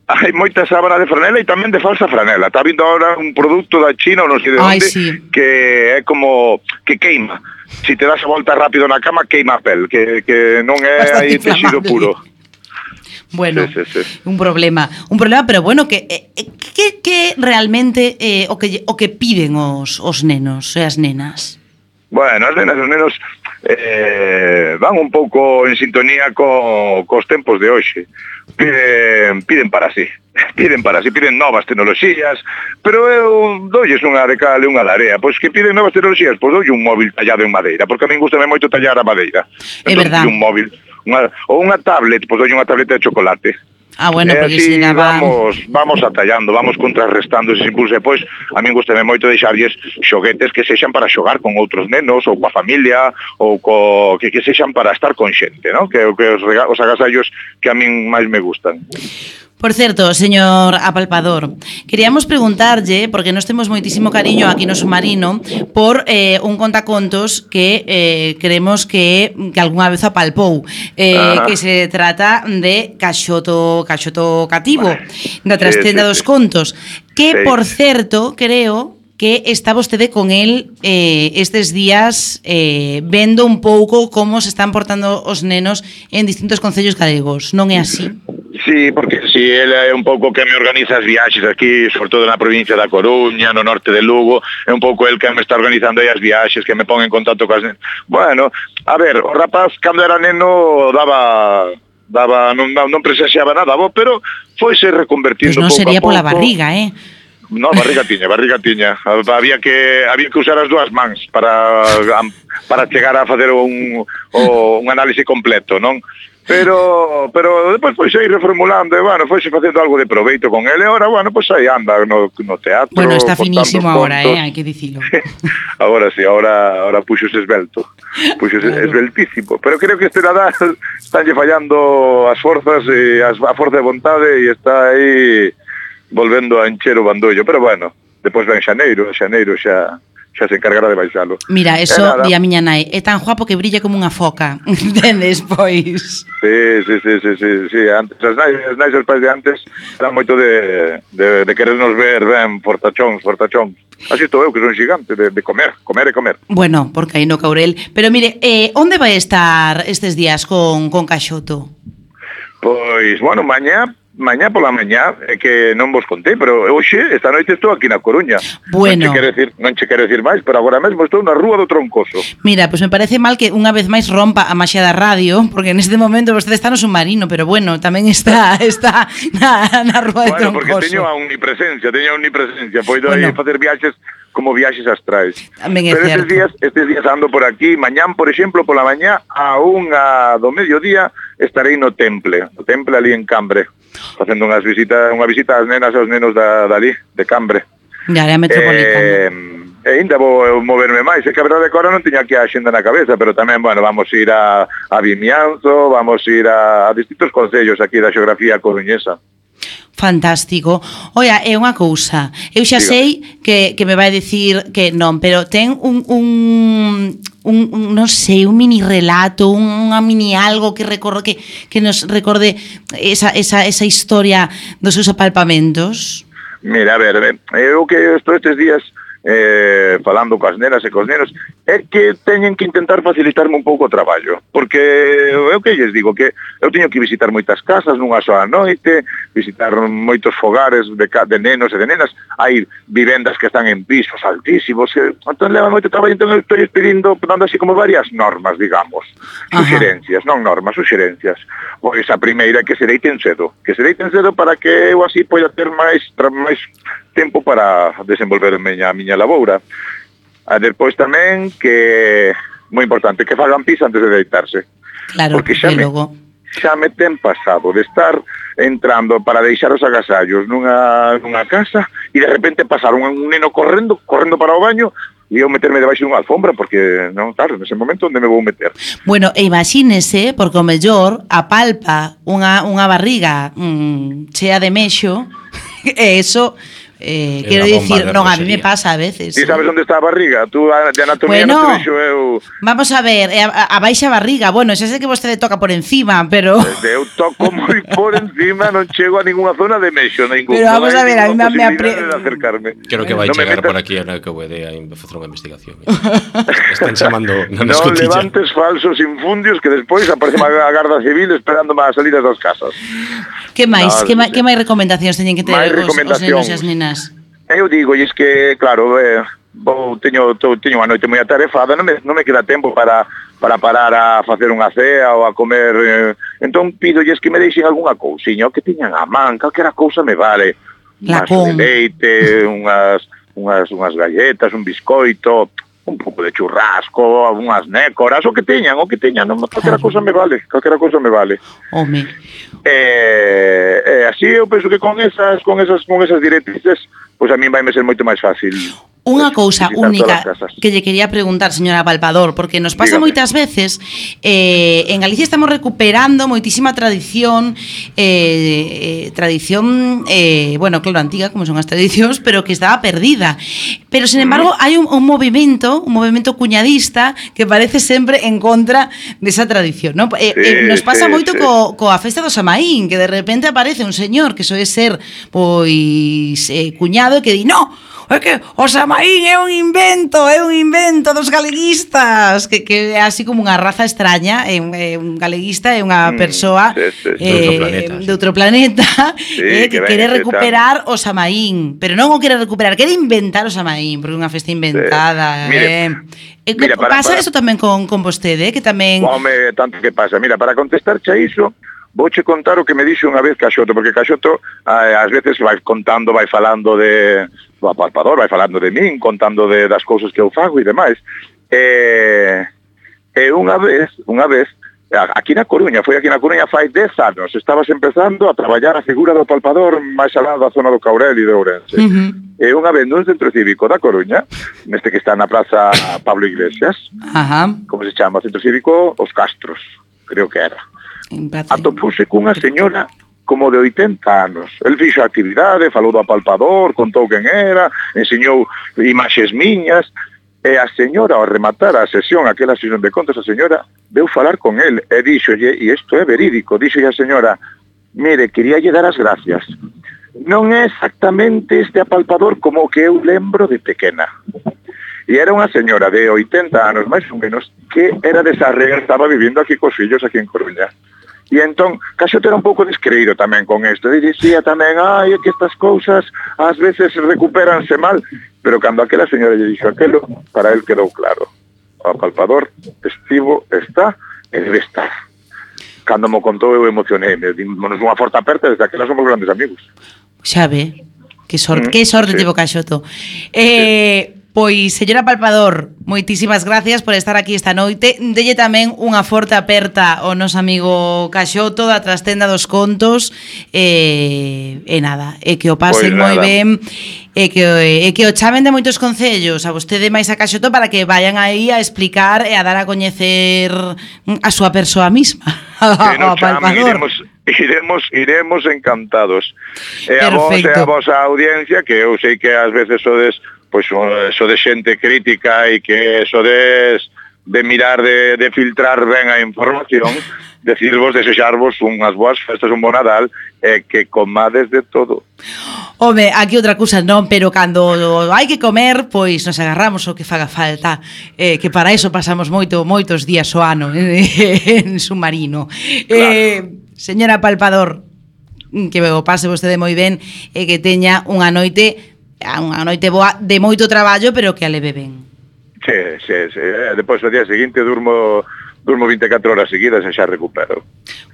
Hai moita sábana de franela e tamén de falsa franela. Está vindo ahora un produto da China ou non sei de onde, sí. que é como que queima. Si te das a volta rápido na cama, queima a pel, que, que non é aí texido puro. Bueno, sí, sí, sí. un problema, un problema, pero bueno, que eh, que, que realmente eh, o que o que piden os os nenos e as nenas. Bueno, as nenas e os nenos eh, van un pouco en sintonía co, cos tempos de hoxe. Piden, piden para sí, piden para sí, piden novas tecnoloxías, pero eu doulles unha de cal e unha de area. Pois que piden novas tecnoloxías, pois doulle un móvil tallado en madeira, porque a min gustame moito tallar a madeira. É entón, verdad. Un móvil, unha, ou unha tablet, pois doulle unha tableta de chocolate. Ah, bueno, porque así si na van... vamos, vamos atallando, vamos contrarrestando ese impulso. E pois, a min gustame moito deixarlles xoguetes que sexan para xogar con outros nenos, ou coa familia, ou co, que, que sexan para estar con xente, ¿no? Que, que os, rega, os agasallos que a min máis me gustan. Por certo, señor apalpador, queríamos preguntarlle, porque nós temos moitísimo cariño aquí no Submarino, por eh, un contacontos que eh, creemos que, que algunha vez apalpou, eh, que se trata de Caxoto, Caxoto Cativo, da trastenda sí, sí, dos sí. contos, que, sí. por certo, creo que está vostede con el eh, estes días eh, vendo un pouco como se están portando os nenos en distintos concellos galegos, non é así? Sí, porque si, ele é un pouco que me organiza as viaxes aquí, sobre todo na provincia da Coruña, no norte de Lugo, é un pouco el que me está organizando aí as viaxes, que me pon en contacto coas nenas. Bueno, a ver, o rapaz cando era neno daba... daba non, non presenciaba nada, bo, pero foise reconvertindo pouco a pouco. Pois non sería pola barriga, eh? No, barriga tiña, barriga tiña. Había que había que usar as dúas mans para para chegar a facer un o, un análise completo, non? Pero pero depois foi ir reformulando e, bueno, foise facendo algo de proveito con ele. Ahora, bueno, pois aí anda no, no teatro. Bueno, está finísimo agora, eh, hai que dicilo. Agora sí, agora, agora puxose esbelto. Puxose claro. esbeltísimo. Pero creo que este Nadal estánlle fallando as forzas e as, a forza de vontade e está aí volvendo a encher o bandollo, pero bueno, depois ven xaneiro, xaneiro xa xa se encargará de baixalo. Mira, eso di a miña nai, é tan guapo que brilla como unha foca, entendes, pois? Sí, sí, sí, sí, sí, sí. Antes, as nais, as nais os pais de antes eran moito de, de, de querernos ver ben fortachóns, fortachóns. Así estou eu, que son xigante, de, de comer, comer e comer. Bueno, porque aí no Caurel. Pero mire, eh, onde vai estar estes días con, con Caxoto? Pois, bueno, mañá mañá pola mañá, é que non vos contei, pero hoxe, esta noite estou aquí na Coruña. Bueno. Non che quero decir, non che quero decir máis, pero agora mesmo estou na Rúa do Troncoso. Mira, pois pues me parece mal que unha vez máis rompa a maxia da radio, porque neste momento vostede está no Submarino, pero bueno, tamén está está na, na Rúa do bueno, Troncoso. Bueno, porque teño a omnipresencia, teño a omnipresencia, poido bueno. facer viaxes como viaxes astrais. Tamén é pero certo. estes días, estes días ando por aquí, mañán, por exemplo, pola mañá, a unha do mediodía, estarei no Temple, no Temple ali en Cambre, facendo unhas visitas, unha visita ás nenas e aos nenos da, dali, de Cambre. De área metropolitana. Eh, e ainda vou moverme máis, é que a verdade que agora non teño aquí a xenda na cabeza, pero tamén, bueno, vamos ir a, a Vimianzo, vamos ir a, a distintos concellos aquí da xeografía coruñesa. Fantástico. Oia, é unha cousa. Eu xa Diga. sei que, que me vai dicir que non, pero ten un, un, un, un non sei, un mini relato, unha mini algo que recorde que, que nos recorde esa, esa, esa historia dos seus apalpamentos. Mira, a ver, eu que estou estes días eh, falando coas nenas e cos nenos, é que teñen que intentar facilitarme un pouco o traballo, porque eu que lles digo, que eu teño que visitar moitas casas nunha soa noite, visitar moitos fogares de, de nenos e de nenas, hai vivendas que están en pisos altísimos, que entón leva moito traballo, entón eu estou pedindo, dando así como varias normas, digamos, suxerencias, non normas, suxerencias. Pois a primeira é que se deiten cedo, que se deiten cedo para que eu así poida ter máis máis tempo para desenvolverme a miña laboura. A depois tamén que, moi importante, que fagan pis antes de deitarse. Claro, porque xa me, logo. xa me ten pasado de estar entrando para deixar os agasallos nunha, nunha casa e de repente pasar un, un neno correndo, correndo para o baño e eu meterme debaixo dunha alfombra porque, non, claro, nese momento onde me vou meter. Bueno, e imagínese, porque o mellor apalpa unha, unha barriga mmm, chea de mexo e eso... Eh, quero dicir, non, a mí me pasa a veces. Ti sabes onde está a barriga? Tú de anatomía bueno, non te vexo eu... Vamos a ver, a, a baixa barriga, bueno, xa sei que vostede toca por encima, pero... Eu toco moi por encima, non chego a ninguna zona de mexo, ningún. Pero vamos a ver, a mí me apre... Creo que vai no chegar por aquí a na que puede a facer unha investigación. Están chamando na no escotilla. Non levantes falsos infundios que despois aparece a Garda Civil esperándome a salir das casas. Que máis? No, que, que máis recomendacións teñen que ter os, os nenos e as nenas? Eu digo, e es que, claro, eh, vou, teño, teño unha noite moi atarefada, non me, non me queda tempo para, para parar a facer unha cea ou a comer, eh, entón pidolles que me deixen algunha cousiña, o que tiñan a man, calquera cousa me vale. Unhas de leite, unhas, unhas, unhas galletas, un biscoito, un pouco de churrasco, unhas nécoras, o que teñan, o que teñan, non, calquera cousa me vale, calquera cousa me vale. Home. Eh, eh, así eu penso que con esas con esas con esas directrices, pois pues a mí vai me ser moito máis fácil. Unha cousa visitar única todas as casas. que lle quería preguntar, señora Palpador, porque nos pasa Dígame. moitas veces, eh, en Galicia estamos recuperando moitísima tradición, eh, eh, tradición, eh, bueno, claro, antiga, como son as tradicións, pero que estaba perdida. Pero, sin embargo, hai un, un movimento, un movimento cuñadista que parece sempre en contra desa tradición, ¿no? Eh, Sí, eh, nos pasa sí, moito sí. co, coa festa do Samaín, que de repente aparece un señor que soe ser, pois, eh, cuñado e que di, no, é que o Samaín é un invento, é un invento dos galeguistas, que, que é así como unha raza extraña, é un, é un galeguista, é unha Mm, persoa sí, sí, sí. eh, De outro planeta, sí. de outro planeta Sí, eh, que, que quere ven, recuperar o Samaín, pero non o quere recuperar, quere inventar o Samaín, porque é unha festa inventada. Sí. Mire, eh. Eh, mira, para- pasa para- eso tamén con, con vostede, eh, que tamén... Home, tanto que pasa. Mira, para contestarche a iso, vouche contar o que me dixo unha vez Caxoto, porque Caxoto eh, ás veces vai contando, vai falando de do apalpador, vai falando de min, contando de, das cousas que eu fago e demais. E, e unha vez, unha vez, a- aquí na Coruña, foi aquí na Coruña fai dez anos, estabas empezando a traballar a figura do apalpador máis alá da zona do Caurel e de Ourense. Uh-huh. E unha vez nun centro cívico da Coruña, neste que está na praza Pablo Iglesias, Ajá. como se chama, centro cívico Os Castros, creo que era. En praza. Atopuse cunha señora como de oitenta anos. El fixo a actividade, falou do apalpador, contou quen era, enseñou imaxes miñas, e a señora, ao rematar a sesión, aquela sesión de contos, a señora veu falar con el e dixolle, e isto é verídico, dixolle a señora, mire, queríalle dar as gracias. Non é exactamente este apalpador como o que eu lembro de pequena. E era unha señora de oitenta anos, máis ou menos, que era de Sarriá, estaba vivindo aquí cos fillos aquí en Coruña. E entón, Caxoto era un pouco descreído tamén con isto. E dicía tamén, ai, é que estas cousas ás veces recupéranse mal. Pero cando aquela señora lle dixo aquelo, para él quedou claro. O apalpador estivo, está e debe estar. Cando mo contou eu emocionei. Dimos unha forte aperta, desde aquela somos grandes amigos. Xa ve, que sorte, Mm, que sorte sí. tivo Caxoto. Eh, pois, señora Palpador, moitísimas gracias por estar aquí esta noite. Delle tamén unha forte aperta ao noso amigo Caxoto da Trastenda dos Contos. E, e nada, e que o pasen Pois moi nada. ben, e que, e que o chamen de moitos concellos a vostede máis a Caxoto para que vayan aí a explicar e a dar a coñecer a súa persoa mesma. Que Ao nos chamen, Palpador. iremos, iremos, iremos encantados. E a vos e Perfecto. a vosa audiencia, que eu sei que ás veces sodes, pois, sodes xente crítica e que sodes de mirar, de, de filtrar ben a información, decirvos, desexarvos unhas boas festas, un bon Nadal, e que comades de todo. Home, aquí outra cousa non, pero cando hai que comer, pois nos agarramos o que faga falta, eh, que para eso pasamos moito moitos días o ano eh, en submarino. Claro. Eh, señora Palpador, que o pase vostede moi ben e que teña unha noite unha noite boa de moito traballo, pero que a leve ben. Sí, sí, sí. Depois, o día seguinte, durmo, durmo vinte e catro horas seguidas e xa recupero.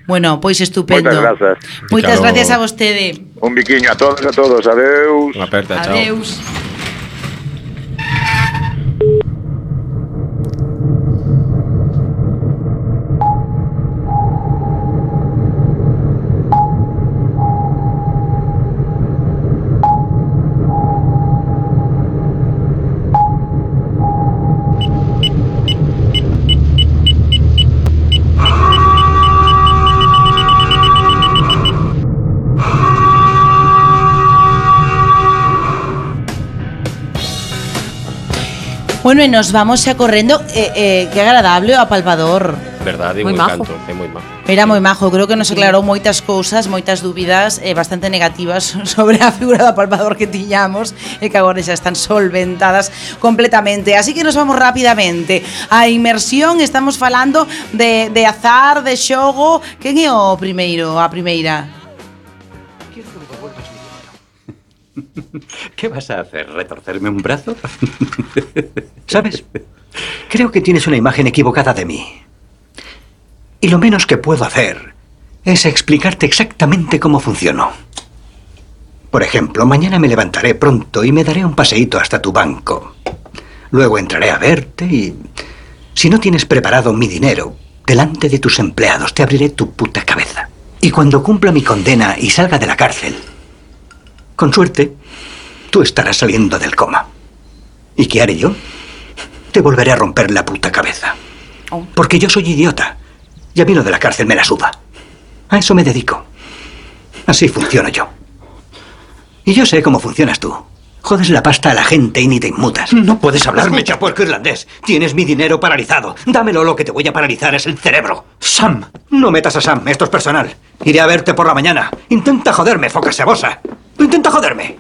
Bueno, pois estupendo. Moitas grazas. Moitas Claro. gracias a vostede. Un biquiño a todos, a todos. Adeus. Unha aperta, chao. Adeus. Bueno, e nos vamos xa correndo, eh, eh, que agradable o apalpador. Verdade, Moi un majo. encanto, é moi majo. Era moi majo, creo que nos aclarou moitas cousas, moitas dúbidas eh, bastante negativas sobre a figura do apalpador que tiñamos e que agora xa están solventadas completamente. Así que nos vamos rapidamente a inmersión, estamos falando de, de azar, de xogo. Quen é o primeiro, a primeira? Quiero que me devuelvas mi dinero. ¿Qué vas a hacer? ¿Retorcerme un brazo? ¿Sabes? Creo que tienes una imagen equivocada de mí. Y lo menos que puedo hacer es explicarte exactamente cómo funciono. Por ejemplo, mañana me levantaré pronto y me daré un paseíto hasta tu banco. Luego entraré a verte y... si no tienes preparado mi dinero, delante de tus empleados te abriré tu puta cabeza. Y cuando cumpla mi condena y salga de la cárcel, con suerte, tú estarás saliendo del coma. ¿Y qué haré yo? Te volveré a romper la puta cabeza. Porque yo soy idiota. Y a mí lo de la cárcel me la suda. A eso me dedico. Así funciono yo. Y yo sé cómo funcionas tú. Jodes la pasta a la gente y ni te inmutas. No puedes hablarme, chapuerco irlandés. Tienes mi dinero paralizado. Dámelo, lo que te voy a paralizar es el cerebro. Sam. No metas a Sam, esto es personal. Iré a verte por la mañana. Intenta joderme, foca sebosa. Intenta joderme.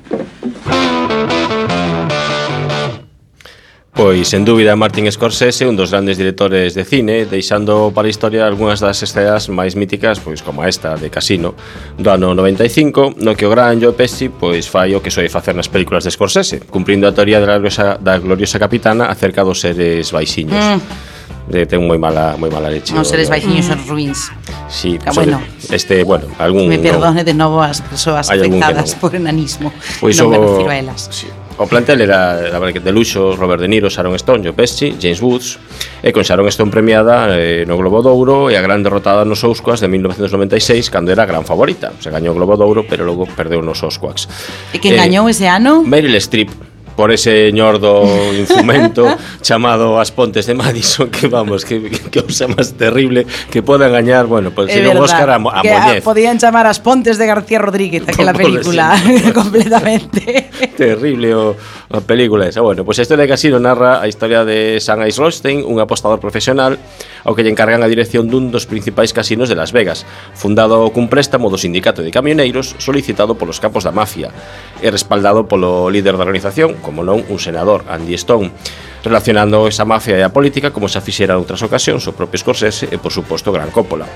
Pois, sen dúbida, Martin Scorsese, un dos grandes directores de cine, deixando para a historia algunhas das escenas máis míticas, pois como esta de Casino, do ano noventa e cinco, no que o gran Joe Pesci pois fai o que soe facer nas películas de Scorsese, cumprindo a teoría da gloriosa, da gloriosa capitana acerca dos seres baixiños. Mm. De, ten moi mala moi mala leche. Os seres baixiños son ruins. Sí, ah, bueno. Este, bueno, algún me perdone no, de novo as persoas afectadas no. por enanismo. Pois non o, me refiro a elas. Sí. O plantel era de luxo: Robert De Niro, Sharon Stone, Joe Pesci, James Woods, e con Sharon Stone premiada eh, no Globo de Ouro e a gran derrotada nos Oscars de mil novecientos noventa e seis, cando era a gran favorita. Se gañou o Globo de Ouro, pero logo perdeu nos Oscars. E quen eh, gañou ese ano? Meryl Streep, por ese ñordo infumento chamado As Pontes de Madison, que vamos, que, que cosa máis terrible que podan gañar, bueno, pues si non Óscar a, a Moñez. Podían chamar As Pontes de García Rodríguez, aquela película, completamente. Terrible o, a película esa. Bueno, pues a historia de Casino narra a historia de Sam Ice Rothstein, un apostador profesional ao que lle encargan a dirección dun dos principais casinos de Las Vegas, fundado cun préstamo do sindicato de camioneiros solicitado polos capos da mafia e respaldado polo líder da organización, como non un senador, Andy Stone, relacionando esa mafia e a política como se fixera en outras ocasións o propio Scorsese e, por suposto, Gran Coppola,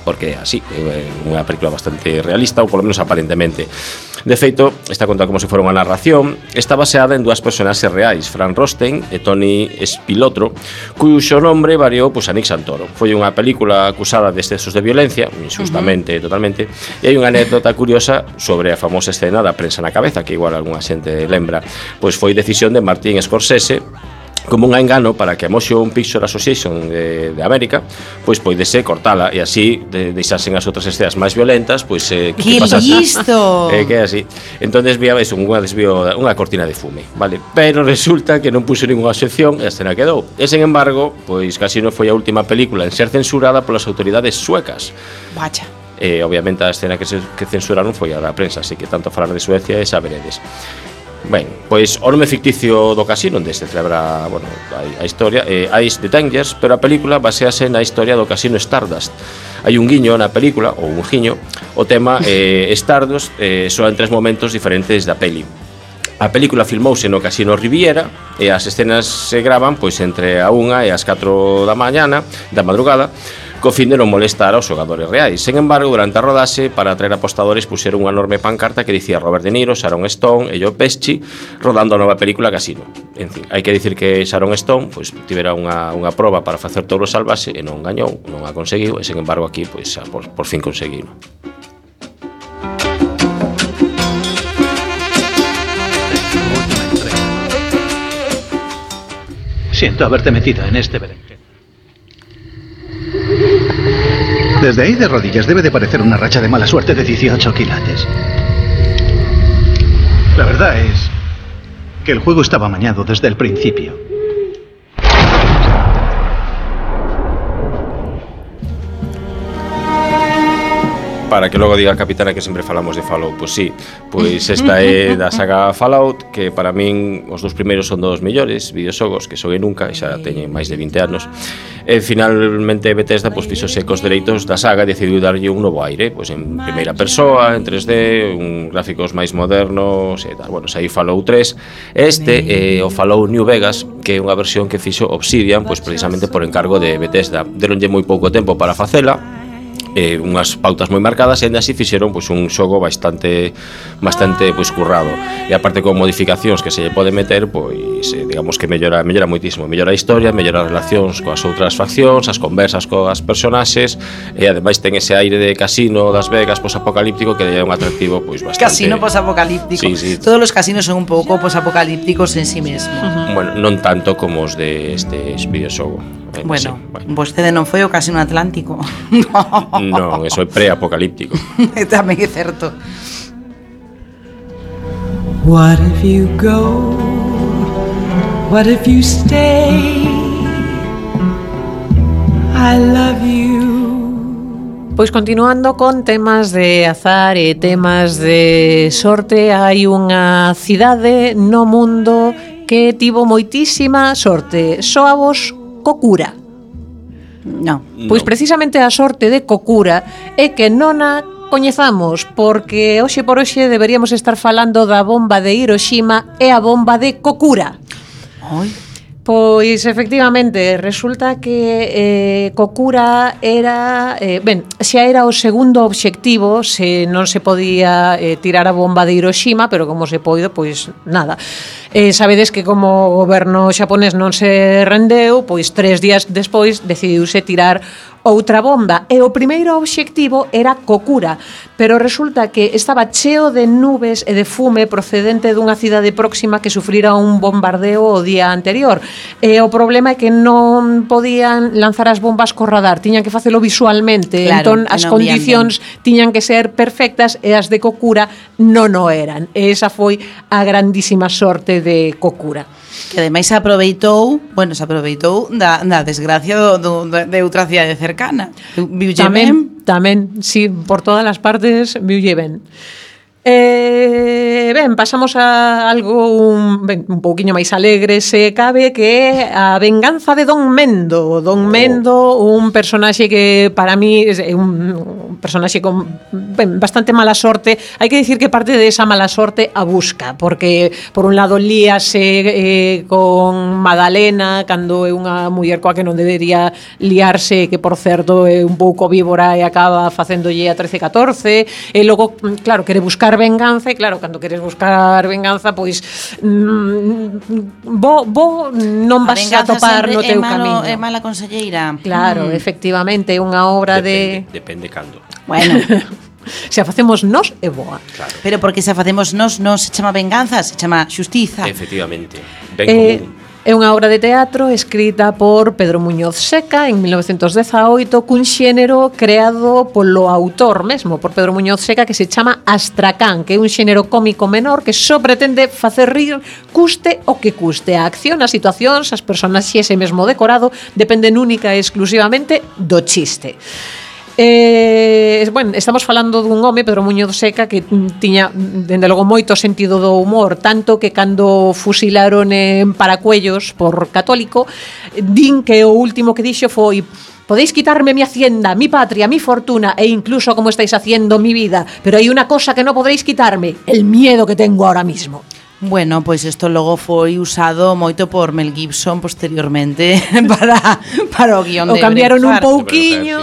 porque así, é unha película bastante realista, ou polo menos aparentemente. De feito, está contada como se fora unha narración. Está baseada en dúas personaxes reais, Frank Rothstein e Tony Spilotro, cuxo nombre variou pues, a Nick Santoro. Foi unha película acusada de excesos de violencia, injustamente, uh-huh. totalmente, e hai unha anécdota curiosa sobre a famosa escena da prensa na cabeza, que igual algunha xente lembra. Pois foi decisión de Martin Scorsese, como un engano para que a Motion Picture Association de, de América pois poidese cortala e así de, deixasen as outras escenas máis violentas, pois eh, que, que listo. Eh, que así. Entonces vía eso, unha desvío, unha cortina de fume, vale? Pero resulta que non puxo ninguna excepción e a escena quedou. E sen embargo, pois Casino foi a última película en ser censurada polas autoridades suecas. Vaya. E eh, obviamente a escena que se que censuraron foi a da prensa, así que tanto falar de Suecia e saberedes. Ben, pois o nome ficticio do casino onde se celebra, bueno, a, a historia é eh, Ice the Dangers, pero a película basease na historia do casino Stardust. Hai un guiño na película, ou un guiño, o tema eh, Stardust eh, só en tres momentos diferentes da peli. A película filmouse no Casino Riviera e as escenas se gravan pois entre a unha e as catro da mañana, da madrugada, co fin de non molestar aos xogadores reais. Sen embargo, durante a rodaxe, para atraer apostadores, puxeron unha enorme pancarta que dicía Robert De Niro, Sharon Stone e Joe Pesci rodando a nova película Casino. En fin, hai que dicir que Sharon Stone pois, tivera unha, unha proba para facer Touro Salvaxe e non gañou, non a conseguiu, e sen embargo aquí pois, por, por fin conseguiu. Siento haberte metido en este berenjeno. Desde ahí de rodillas debe de parecer una racha de mala suerte de dieciocho quilates. La verdad es que el juego estaba amañado desde el principio. Para que logo diga a capitana que sempre falamos de Fallout, pois sí, pois esta é da saga Fallout, que para min os dous primeiros son dos mellores videoxogos que xoguei nunca, e xa teñen máis de vinte anos. E finalmente Bethesda pois fixose cos dereitos da saga e decidiu darlle un novo aire, pois en primeira persoa, en tres D, un gráficos máis modernos e tal. Bueno, saí Fallout tres. Este é o Fallout New Vegas, que é unha versión que fixo Obsidian, pois precisamente por encargo de Bethesda. Deronlle moi pouco tempo para facela, eh, unhas pautas moi marcadas, e ainda así fixeron pois, un xogo bastante bastante pois, currado, e aparte con modificacións que se lle pode meter, pois eh, digamos que mellora mellora moitísimo, mellora a historia, mellora as relacións coas outras faccións, as conversas coas personaxes, e ademais ten ese aire de casino das Vegas posapocalíptico que é un atractivo pois bastante. Casino posapocalíptico. Sí, sí. Todos os casinos son un pouco posapocalípticos en sí mesmo. Uh-huh. Bueno, non tanto como os de este videoxogo. Eh, bueno, sí, bueno, vostede non foi o Casino Atlántico. Non, eso é pre-apocalíptico. Tamén é certo. What if you go What if you stay? I love you. Pois continuando con temas de azar e temas de sorte, hai unha cidade no mundo que tivo moitísima sorte. Soavos Kokura. No. Pois precisamente a sorte de Kokura é que non a coñezamos, porque hoxe por hoxe deberíamos estar falando da bomba de Hiroshima e a bomba de Kokura. Ai. Pois efectivamente, resulta que eh, Kokura era, eh, ben, xa era o segundo obxectivo, se non se podía eh, tirar a bomba de Hiroshima, pero como se poido, pois nada. Eh, sabedes que como o goberno xaponés non se rendeu, pois tres días despois decidiuse tirar outra bomba, e o primeiro obxectivo era Kokura, pero resulta que estaba cheo de nubes e de fume procedente dunha cidade próxima que sufrira un bombardeo o día anterior. E o problema é que non podían lanzar as bombas co radar, tiñan que facelo visualmente, claro, entón as non condicións tiñan que ser perfectas e as de Kokura non o eran. E esa foi a grandísima sorte de Kokura. Que ademais se aproveitou, bueno, se aproveitou da, da desgracia do, do, de outra cidade cercana. Viulle Tamén, tamén, sí, por todas as partes viulle ben. Eh, ben, pasamos a algo un, ben, un pouquiño máis alegre, se cabe, que é a venganza de Don Mendo. Don Mendo, un personaxe que para mí é un personaxe con ben, bastante mala sorte. Hai que dicir que parte de esa mala sorte a busca, porque por un lado líase eh, con Madalena cando é unha muller coa que non debería liarse, que por certo é un pouco víbora e acaba facéndolle a trece catorce, e logo, claro, quere buscar venganza, e claro, cando queres buscar venganza, pois mm, bo, bo non vas a, a topar no teu camiño. É mala conselleira. Claro, mm. efectivamente, é unha obra depende, de... Depende cando. Bueno... Se a facemos nos é boa. Claro. Pero porque se a facemos nos non se chama venganza, se chama xustiza. Efectivamente. Ben eh, común. É unha obra de teatro escrita por Pedro Muñoz Seca en mil novecentos dezaoito, cun xénero creado polo autor mesmo, por Pedro Muñoz Seca, que se chama Astracán, que é un xénero cómico menor que só pretende facer rir, custe o que custe. A acción, as situacións, as personaxes e mesmo decorado dependen única e exclusivamente do chiste. Eh, bueno, estamos falando dun home, Pedro Muñoz Seca, que tiña, dende logo, moito sentido do humor, tanto que cando fusilaron en Paracuellos por católico, din que o último que dixo foi: podéis quitarme mi hacienda, mi patria, mi fortuna e incluso como estáis haciendo mi vida, pero hai unha cosa que non podréis quitarme, el miedo que tengo ahora mismo. Bueno, pois isto logo foi usado moito por Mel Gibson posteriormente para, para o guión o de cambiaron Braveheart. un pouquiño,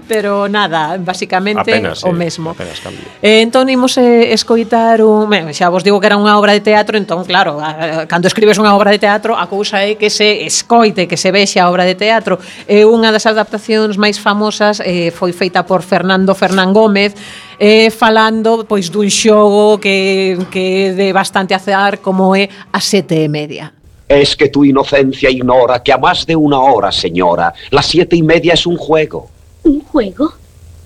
pero nada, basicamente apenas, o eh, mesmo. Apenas cambio. Eh, entón imos eh, escoitar un, ben, xa vos digo que era unha obra de teatro, entón claro, a, a, cando escribes unha obra de teatro, a cousa é que se escoite, que se vexe a obra de teatro. É eh, unha das adaptacións máis famosas, eh, foi feita por Fernando Fernán Gómez, eh, falando pois dun xogo que, que de bastante azar como é a sete e media. Es que tu inocencia ignora que a más de una hora, señora, las siete y media es un juego. ¿Un juego?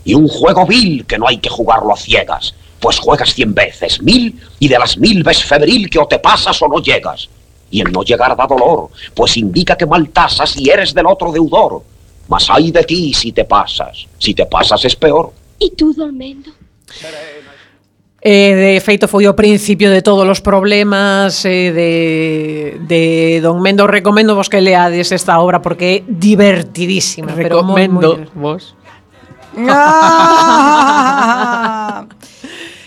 Y un juego vil que no hay que jugarlo a ciegas. Pues juegas cien veces, mil, y de las mil ves febril que o te pasas o no llegas. Y el no llegar da dolor, pues indica que mal tasas y eres del otro deudor. Mas ay de ti si te pasas. Si te pasas es peor. ¿Y tú, Don Mendo? Eh, de feito foi o principio de todos os problemas eh, de, de Don Mendo. Recomendo vos que leades esta obra porque é divertidísima. Recomendo pero moi, moi... vos.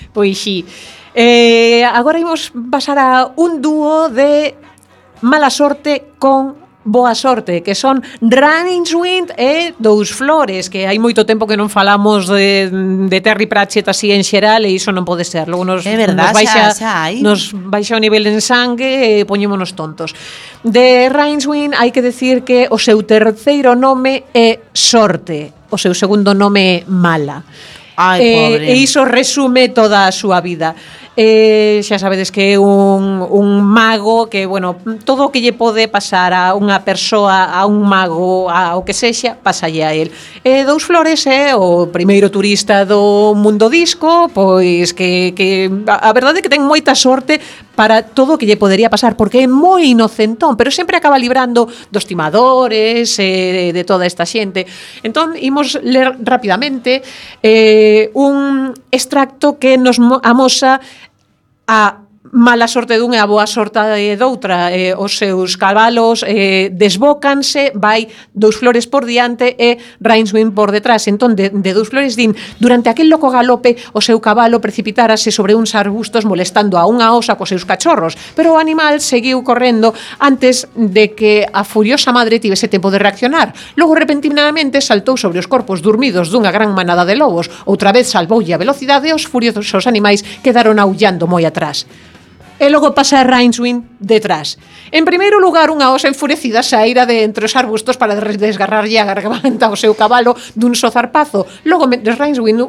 Pois sí. Eh, agora imos pasar a un dúo de mala sorte con boa sorte, que son Rincewind e Dous Flores, que hai moito tempo que non falamos de, de Terry Pratchett así en xeral, e iso non pode ser. Logo nos, é verdad, nos baixa, xa, xa hai. nos baixa o nivel en sangue e poñémonos tontos. De Rincewind hai que decir que o seu terceiro nome é Sorte, o seu segundo nome é Mala. Ai, pobre. E iso resume toda a súa vida. Eh, xa sabedes que é un, un mago que, bueno, todo o que lle pode pasar a unha persoa, a un mago, a o que sexa, pasalle a él. E Dous Flores é o primeiro turista do mundo disco, pois que, que a verdade é que ten moita sorte para todo o que lle podería pasar, porque é moi inocentón, pero sempre acaba librando dos timadores, eh, de toda esta xente. Entón, imos ler rapidamente eh, un extracto que nos amosa a mala sorte dun e a boa sorte doutra. Eh, os seus cabalos eh, desbócanse, vai dous flores por diante e Rincewind por detrás. Entón, de, de dous flores din, durante aquel loco galope, o seu cabalo precipitárase sobre uns arbustos molestando a unha osa cos seus cachorros, pero o animal seguiu correndo antes de que a furiosa madre tivese tempo de reaccionar. Logo, repentinamente, saltou sobre os corpos dormidos dunha gran manada de lobos. Outra vez salvoulle a velocidade e os furiosos animais quedaron aullando moi atrás. E logo pasa Rincewind detrás. En primeiro lugar, unha osa enfurecida saíra de entre os arbustos para desgarrarlle a garganta ao seu cabalo dun só zarpazo. Logo, mentre Rincewind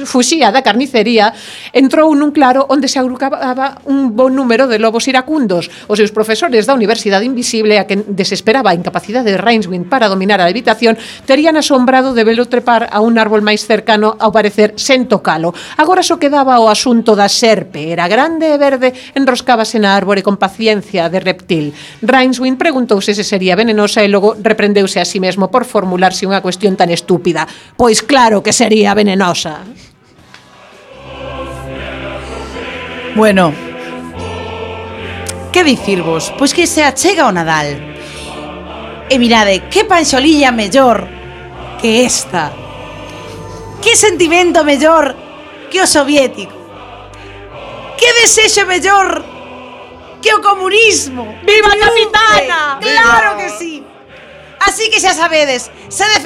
fuxía da carnicería, entrou nun claro onde se agrupaba un bon número de lobos iracundos. Os seus profesores da Universidade Invisible, a que desesperaba a incapacidade de Rincewind para dominar a habitación, terían asombrado de velo trepar a un árbol máis cercano, ao parecer sen tocalo. Agora só quedaba o asunto da serpe. Era grande e verde, enroscábase na árbore con paciencia de reptil. Rincewind preguntouse se sería venenosa e logo reprendeuse a sí mesmo por formularse unha cuestión tan estúpida. Pois claro que sería venenosa. Bueno, que dicirvos? Pois que se achega o Nadal. E mirade, que panxolilla mellor que esta. Que sentimento mellor que o soviético. Que desexo mellor que o comunismo. ¡Viva a capitana! ¡Claro que sí! Así que xa sabedes, se